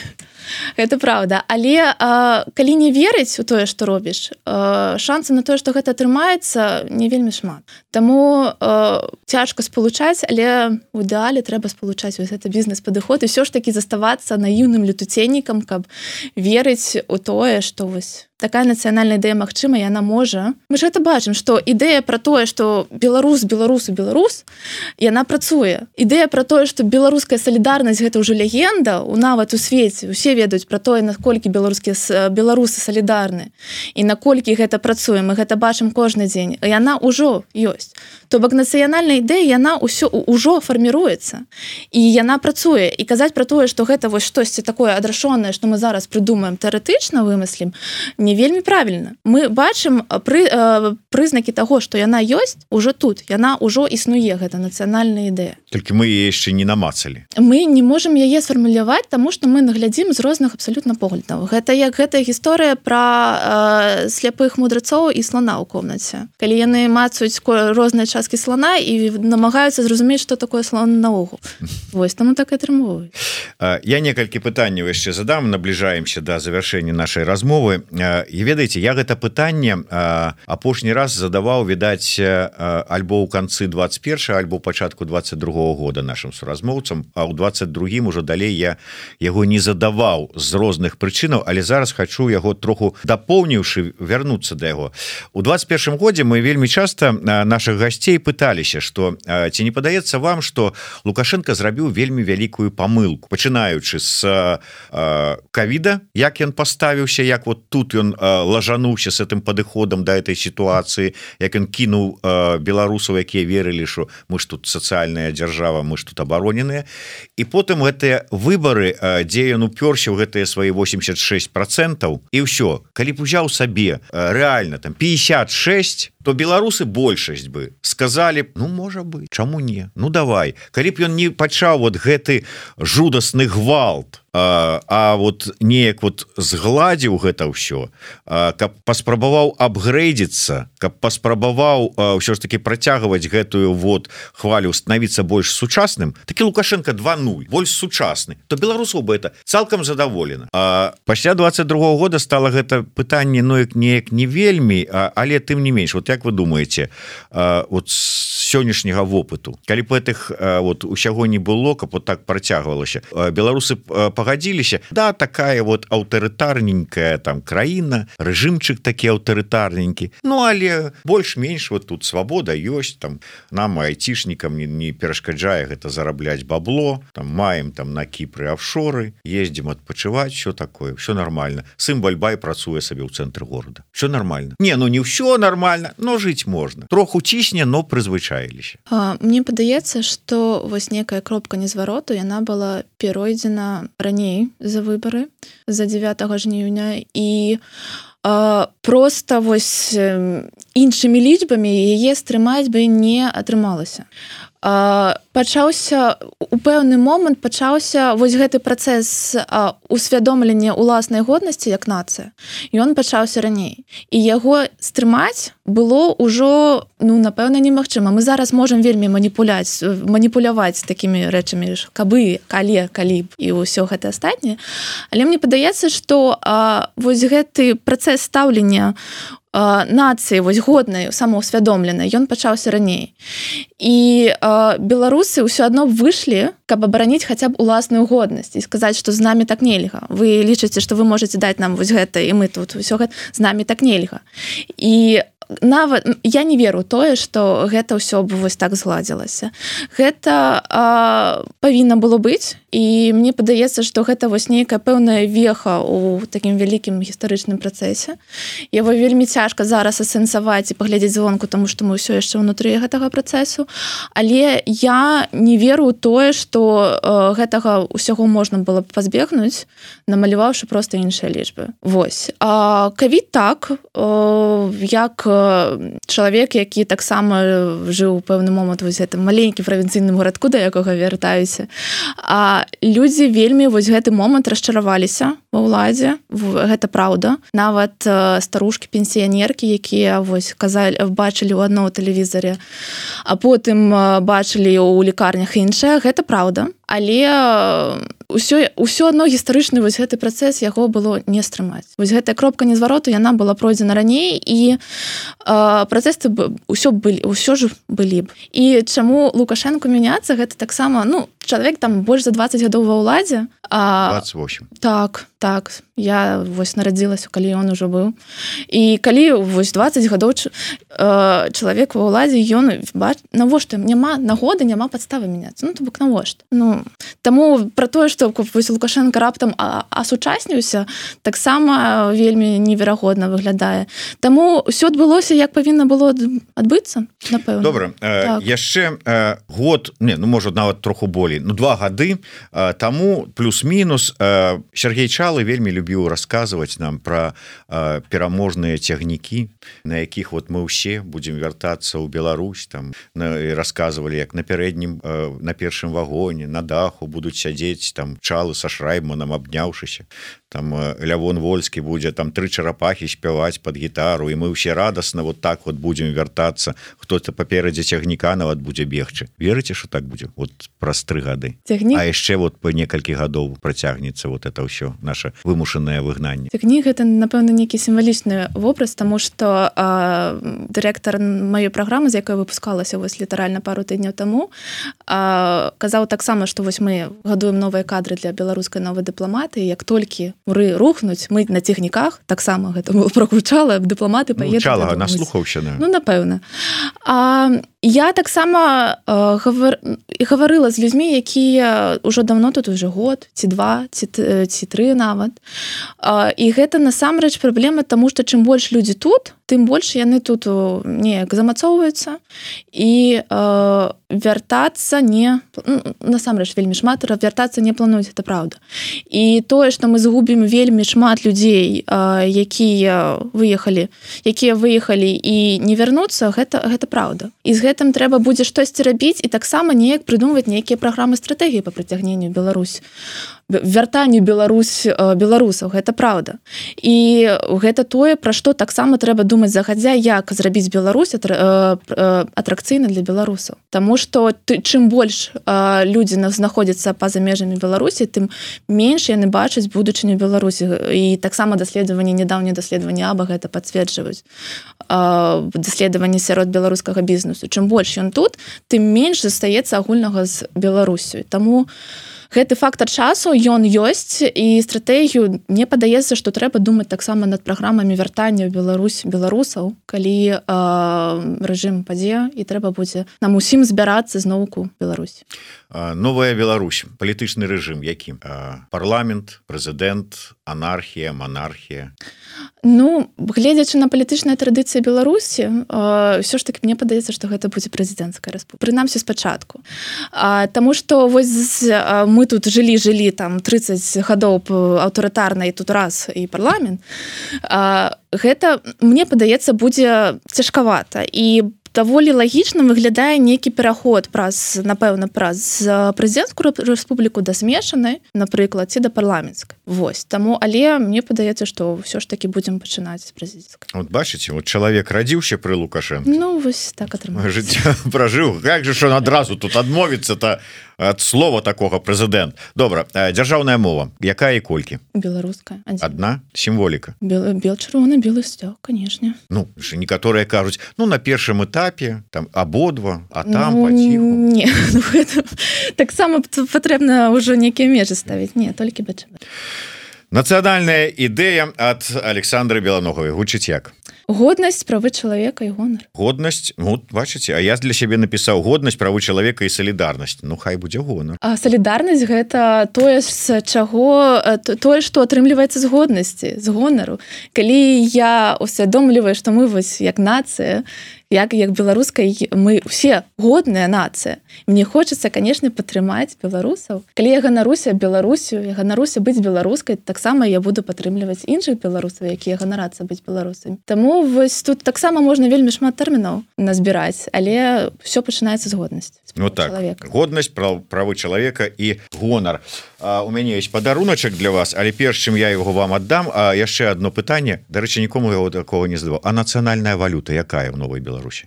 гэта праўда, але а, калі не верыць у тое, што робіш, а, шансы на тое, што гэта атрымаецца, не вельмі шмат. Таму а, цяжка спалучаць, але ў ідэале трэба спалучаць вось гэта бізнес-падыход і ўсё ж такі заставацца наіўным летуценнікам, каб верыць у тое, што вось такая нацыянальная ідэя магчыма, яна можа. Мы ж гэта бачым, што ідэя пра тое, што беларус, беларусу, беларус, яна працуе. Ідэя пра тое, што беларуская салідарнасць гэта ўжо легенда, у нават у свеце, усе ведаюць пра тое, наколькі беларускія беларусы салідарны і наколькі гэта працуе. Мы гэта бачым кожны дзень. Яна ўжо ёсць. То бок нацыянальная ідэя, яна ўсё ўжо фарміруецца. І яна працуе. І казаць пра тое, што гэта вось штосьці такое адрашонае, што мы зараз прыдумаем, тэарэтычна вымыслім, не вельмі правільна. Мы бачым пры, э, прызнакі таго, што яна ёсць ужо тут. Яна ўжо існуе, гэта нацыянальная ідэя. Толькі мы яе яшчэ не намацалі. Мы не можам яе сфармуляваць, таму што мы наглядзім з розных абсалютна поглядаў. Гэта як гэтая гісторыя пра э, сляпых мудрацоў і слона ў комнаце. Калі яны мацаюць розныя часткі слона і намагаюцца зразумець, што такое слон наогул. Вось, таму так і атрымоўваюць. Я некалькі пытанняў яшчэ задам, набліжаемся да завяршэння нашай размовы. І ведаеце, я гэта пытанне апошні раз задаваў, відаць, альбо ў канцы двадцать першага, альбо ў пачатку двадцать другога года нашим суразмоўцам, а ў двадцать другім ужо далей я яго не задаваў з розных прычынаў, але зараз хочу яго троху дапоўніўшы вярнуцца да яго. У двадцать першым годзе мы вельмі часта наших гасцей пыталіся, што ці не падаецца вам, што Лукашенко зрабіў вельмі вялікую памылку, пачынаючы з ковіда, як ён паставіўся, як вот тут ён лажануўся с этим падыходам да этой сітуацыі, як ён кінуў беларусаў, якія верылі, што мы ж тут сацыяльная дзяржава, мы ж тут абароненыя. І потым гэтыя выбары, дзе ён упёрся ў гэтыя свае восемьдесят шесть процентов, і ўсё, калі б узяў сабе рэальна там пятьдесят шесть, то беларусы большасць бы сказалі, ну можа быть, чаму не, ну давай. Калі б ён не пачаў вот гэты жудасны гвалт, а, а вот неяк вот згладзіў гэта ўсё, а, каб паспрабаваў апгрэйдзіцца, каб паспрабаваў ўсё ж таки працягваць гэтую вот хвалю, становіцца больш сучасным, такі Лукашенко два нуль, больш сучасны, то беларусаў бы это цалкам задаволена. А пасля двадцать другога года стало гэта пытанне, ну як неяк не вельмі, а, але тым не менш, вот як вы думаете, вот з сённяшняга вопыту, калі б гэтых вот усяго не было, каб вот так працягвалася, беларусы пагадзіліся, да, такая вот аўтарытарненькая там краіна, рэжымчык такі аўтарытарненькі, ну але больш-менш вот тут свабода ёсць, там нам айцішнікам не, не перашкаджае гэта зарабляць бабло, там маем там на Кіпры офшоры, ездзім адпачываць, що такое, все нормально. Сын Бальбай працуе сабе ў цэнтры горада, все нормально. Не, ну не ўсё нормально, но жыць можна. Троху цісне, но прызвычаіліся. Мне падаецца, што вось некая кропка незвароту, яна была перайдзена раней за выбары, за дзевятага жніўня, і а, просто вось іншымі лічбамі яе стрымаць бы не атрымалася. пачаўся у пэўны момант пачаўся вось гэты працэс усвядомлення ўласнай годнасці як нацыя, і ён пачаўся раней, і яго стрымаць было ўжо, ну, напэўна, немагчыма. Мы зараз можам вельмі маніпуляць маніпуляваць такімі рэчамі, кабы, калі, калі б і ўсё гэта астатняе, але мне падаецца, што вось гэты працэс стаўлення нацыі вось годнай, самаўсвядомленай, ён пачаўся раней. І э, беларусы ўсё адно выйшлі, каб абараніць хаця б уласную годнасць і сказаць, што з намі так нельга. Вы лічыце, што вы можаце даць нам вось гэта, і мы тут усё гэта, з намі так нельга. І нават я не веру тое, што гэта ўсё б вось так згладзілася. Гэта а, павінна было быць, і мне падаецца, што гэта вось нейкая пэўная веха ў такім вялікім гістарычным працэсе. Яго вельмі цяжка зараз асэнсаваць і паглядзець звонку, таму што мы ўсё яшчэ ўнутры гэтага працэсу, але я не веру ў тое, што а, гэтага ўсяго можна было б пазбегнуць, намаляваўшы проста іншыя лічбы. Вось. А ковід так, а, як чалавек, які таксама жыў у пэўны момант вось гэтым маленькім правінцыйным гарадку, да якога вяртаюся. А людзі вельмі вось гэты момант расчараваліся ва ўладзе. Гэта праўда. Нават старушкі пенсіянеркі, якія вось казалі, бачылі ў адном тэлевізоре, а потым бачылі ў лікарнях іншае, гэта праўда. Але ўсё, ўсё адно гістарычны вось гэты працэс яго было не стрымаць. Вось гэтая кропка незвароту, яна была пройдзена раней, і э, працэсы ўсё былі, ўсё ж былі б. І чаму Лукашэнку мяняцца, гэта таксама, ну, чалавек там больш за дваццаць гадоў ва ўладзе. А, двадцать восемь. Так, так. Я вось нарадзілася, калі ён ужо быў. І калі вось дваццаць гадоў э, чалавек ва ўладзе, ён бач, навошта няма нагоды, няма падставы мяняцца. Ну, то бок навошта. Ну, таму пра тое, што вось Лукашенко раптам асучасніўся, таксама вельмі неверагодна выглядае. Таму ўсё адбылося, як павінна было адбыцца, напэўна. Добра. Так. Э, яшчэ э, год, не, ну, можа, нават троху болей, ну, два гады э, таму плюс-мінус э, Сергей Чалы вельмі любіў расказваць нам пра э, пераможныя цягнікі, на якіх вот мы ўсе будзем вяртацца ў Беларусь, там, на, і расказвалі, як на пярэднім, э, на першым вагоне, на даху будуць сядзець там Чалы са Шрайбманам, абняўшыся, там Лявон Вольскі будзе там тры чарапахі спяваць пад гітару, і мы ўсе радасна вот так вот будзем вяртацца, хто-то паперадзе цягніка нават будзе бегчы. Верыце, што так будзе? Вот праз тры гады. Цягнік... А яшчэ вот па некалькі гадоў працягнецца вот это ўсё, наша вымушанае выгнанне. Цягнік — гэта, напэўна, нейкі сімвалічны вобраз, таму што дырэктар маёй праграмы, з якой выпускалася вось літаральна пару тыдняў таму, а, казаў таксама, што вось мы гадуем новыя кадры для беларускай новай дыпламатыі, як толькі уры рухнуць, мы на цягніках, таксама гэта было прагучала, дыпламаты паедуць. Ну, Чалага наслухаўся. Ну, напэўна. А я таксама э, гавар... гаварыла з людзьмі, якія ўжо давно тут уже год, ці два, ці, ці тры нават. А, і гэта насамрэч праблема, таму што чым больш людзі тут, тым больш яны тут неяк замацоўваюцца, і э, вяртацца не... Насамрэч вельмі шмат, вяртацца не плануюць, это праўда. І тое, што мы згубім вельмі шмат людзей, э, якія выехалі, якія выехалі і не вярнуцца, гэта, гэта праўда. І з гэтым трэба будзе штосьці рабіць, і таксама неяк прыдумваць нейкія праграмы стратэгіі па прыцягненню Беларусь. Вяртанню Беларусь беларусаў, гэта праўда. І гэта тое, пра што таксама трэба думаць загадзя, як зрабіць Беларусь атракцыйна для беларусаў. Таму што ты, чым больш людзі знаходзяцца па-за межамі Беларусі, тым менш яны бачаць будучыню Беларусі. І таксама даследаванні, нядаўнія даследаванні АБА гэта пацверджваюць. Даследаванні сярод беларускага бізнесу. Чым больш ён тут, тым менш застаецца агульнага з Беларусю. Таму гэты фактар часу, ён ёсць, і стратэгію, мне падаецца, што трэба думаць таксама над праграмамі вяртання ў Беларусь беларусаў, калі э, рэжым падзе, і трэба будзе нам усім збярацца зноўку Беларусь. Новая Беларусь, палітычны рэжым які? Парламент, прэзідэнт, анархія, монархія? Ну, гледзячы на палітычныя традыцыі Беларусі, ўсё ж таки мне падаецца, што гэта будзе прэзідэнцкая рэспубліка. Прынамсі спачатку. Таму што вось мы тут жылі-жылі там трыццаць гадоў аўтарытарна, і тут раз і парламент. Гэта, мне падаецца, будзе цяжкавата. І даволі лагічна выглядае нейкі пераход праз напэўна праз прэзідэнцкую рэспубліку да змешанай, напрыклад, ці да парламенцкай. Вось таму, але мне падаецца, што ўсё ж таки будзем пачынаць з прэзідэнцкай. Вот бачыце, вот чалавек радзіўся пры Лукашэнку. Ну вось так атрымалася. Жыццё пражыў. Як же ж он адразу тут адмовіцца-то ад слова такога прэзідэнт. Добра, дзяржаўная мова, якая і колькі? Беларуская. Адна сімволіка. Бел, бел чырвоны, белы сцяг, канешне. Ну, некаторыя кажуць, ну на першым этапе там абодва, а там ну, паціху. Не, ну, гэта таксама патрэбна ўжо нейкія межы ставіць. Не, толькі бэ чырвоны. Нацыянальная ідэя ад Александры Беланогавай гучыць як? Годнасць, правы чалавека і гонар. Годнасць, ну, бачыце, а я для сябе напісаў годнасць, правы чалавека і салідарнасць. Ну, хай будзе гонар. А салідарнасць гэта тое, з чаго, тое, што атрымліваецца з годнасці, з гонару. Калі я усвядомліваю, што мы вось як нацыя, як, як беларускай, мы ўсе годная нацыя. Мне хочацца, канешне, падтрымаць беларусаў. Калі я ганаруся Беларусю, я ганаруся быць беларускай, таксама я буду падтрымліваць іншых беларусаў, якія ганарацца быць беларусамі. Таму вось тут таксама можна вельмі шмат тэрмінаў назбіраць, але ўсё пачынаецца з годнасці. Ну так, чалавека. Годнасць, прав, правы чалавека і гонар. А, у мяне есть падаруначак для вас, але перш чым я яго вам аддам, а яшчэ одно пытанне, дарэчы, нікому яго такого не задаваў. А нацыянальная валюта якая ў Новай Беларусі?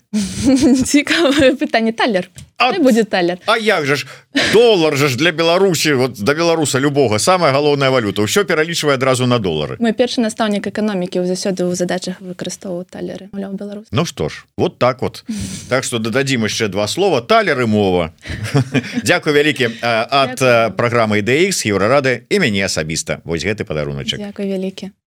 Цікавае пытанне. Талер. А, будзе талер. А як же ж? Долар же ж для Беларусі, вот да беларуса любога, самая галоўная валюта. Усё пералічвае адразу на долары. Мой першы настаўнік эканомікі заўсёды ў задачах выкарыстоўваў талеры. Маўляў, беларус. Ну што ж, вот так вот. Так што дададзім яшчэ два слова. Талер і мова. Дзякуй вялікі ад праграмы ідэ ікс, Еўрарады і мяне асабіста. Вось гэты падаруначак. Дзякуй вялікі.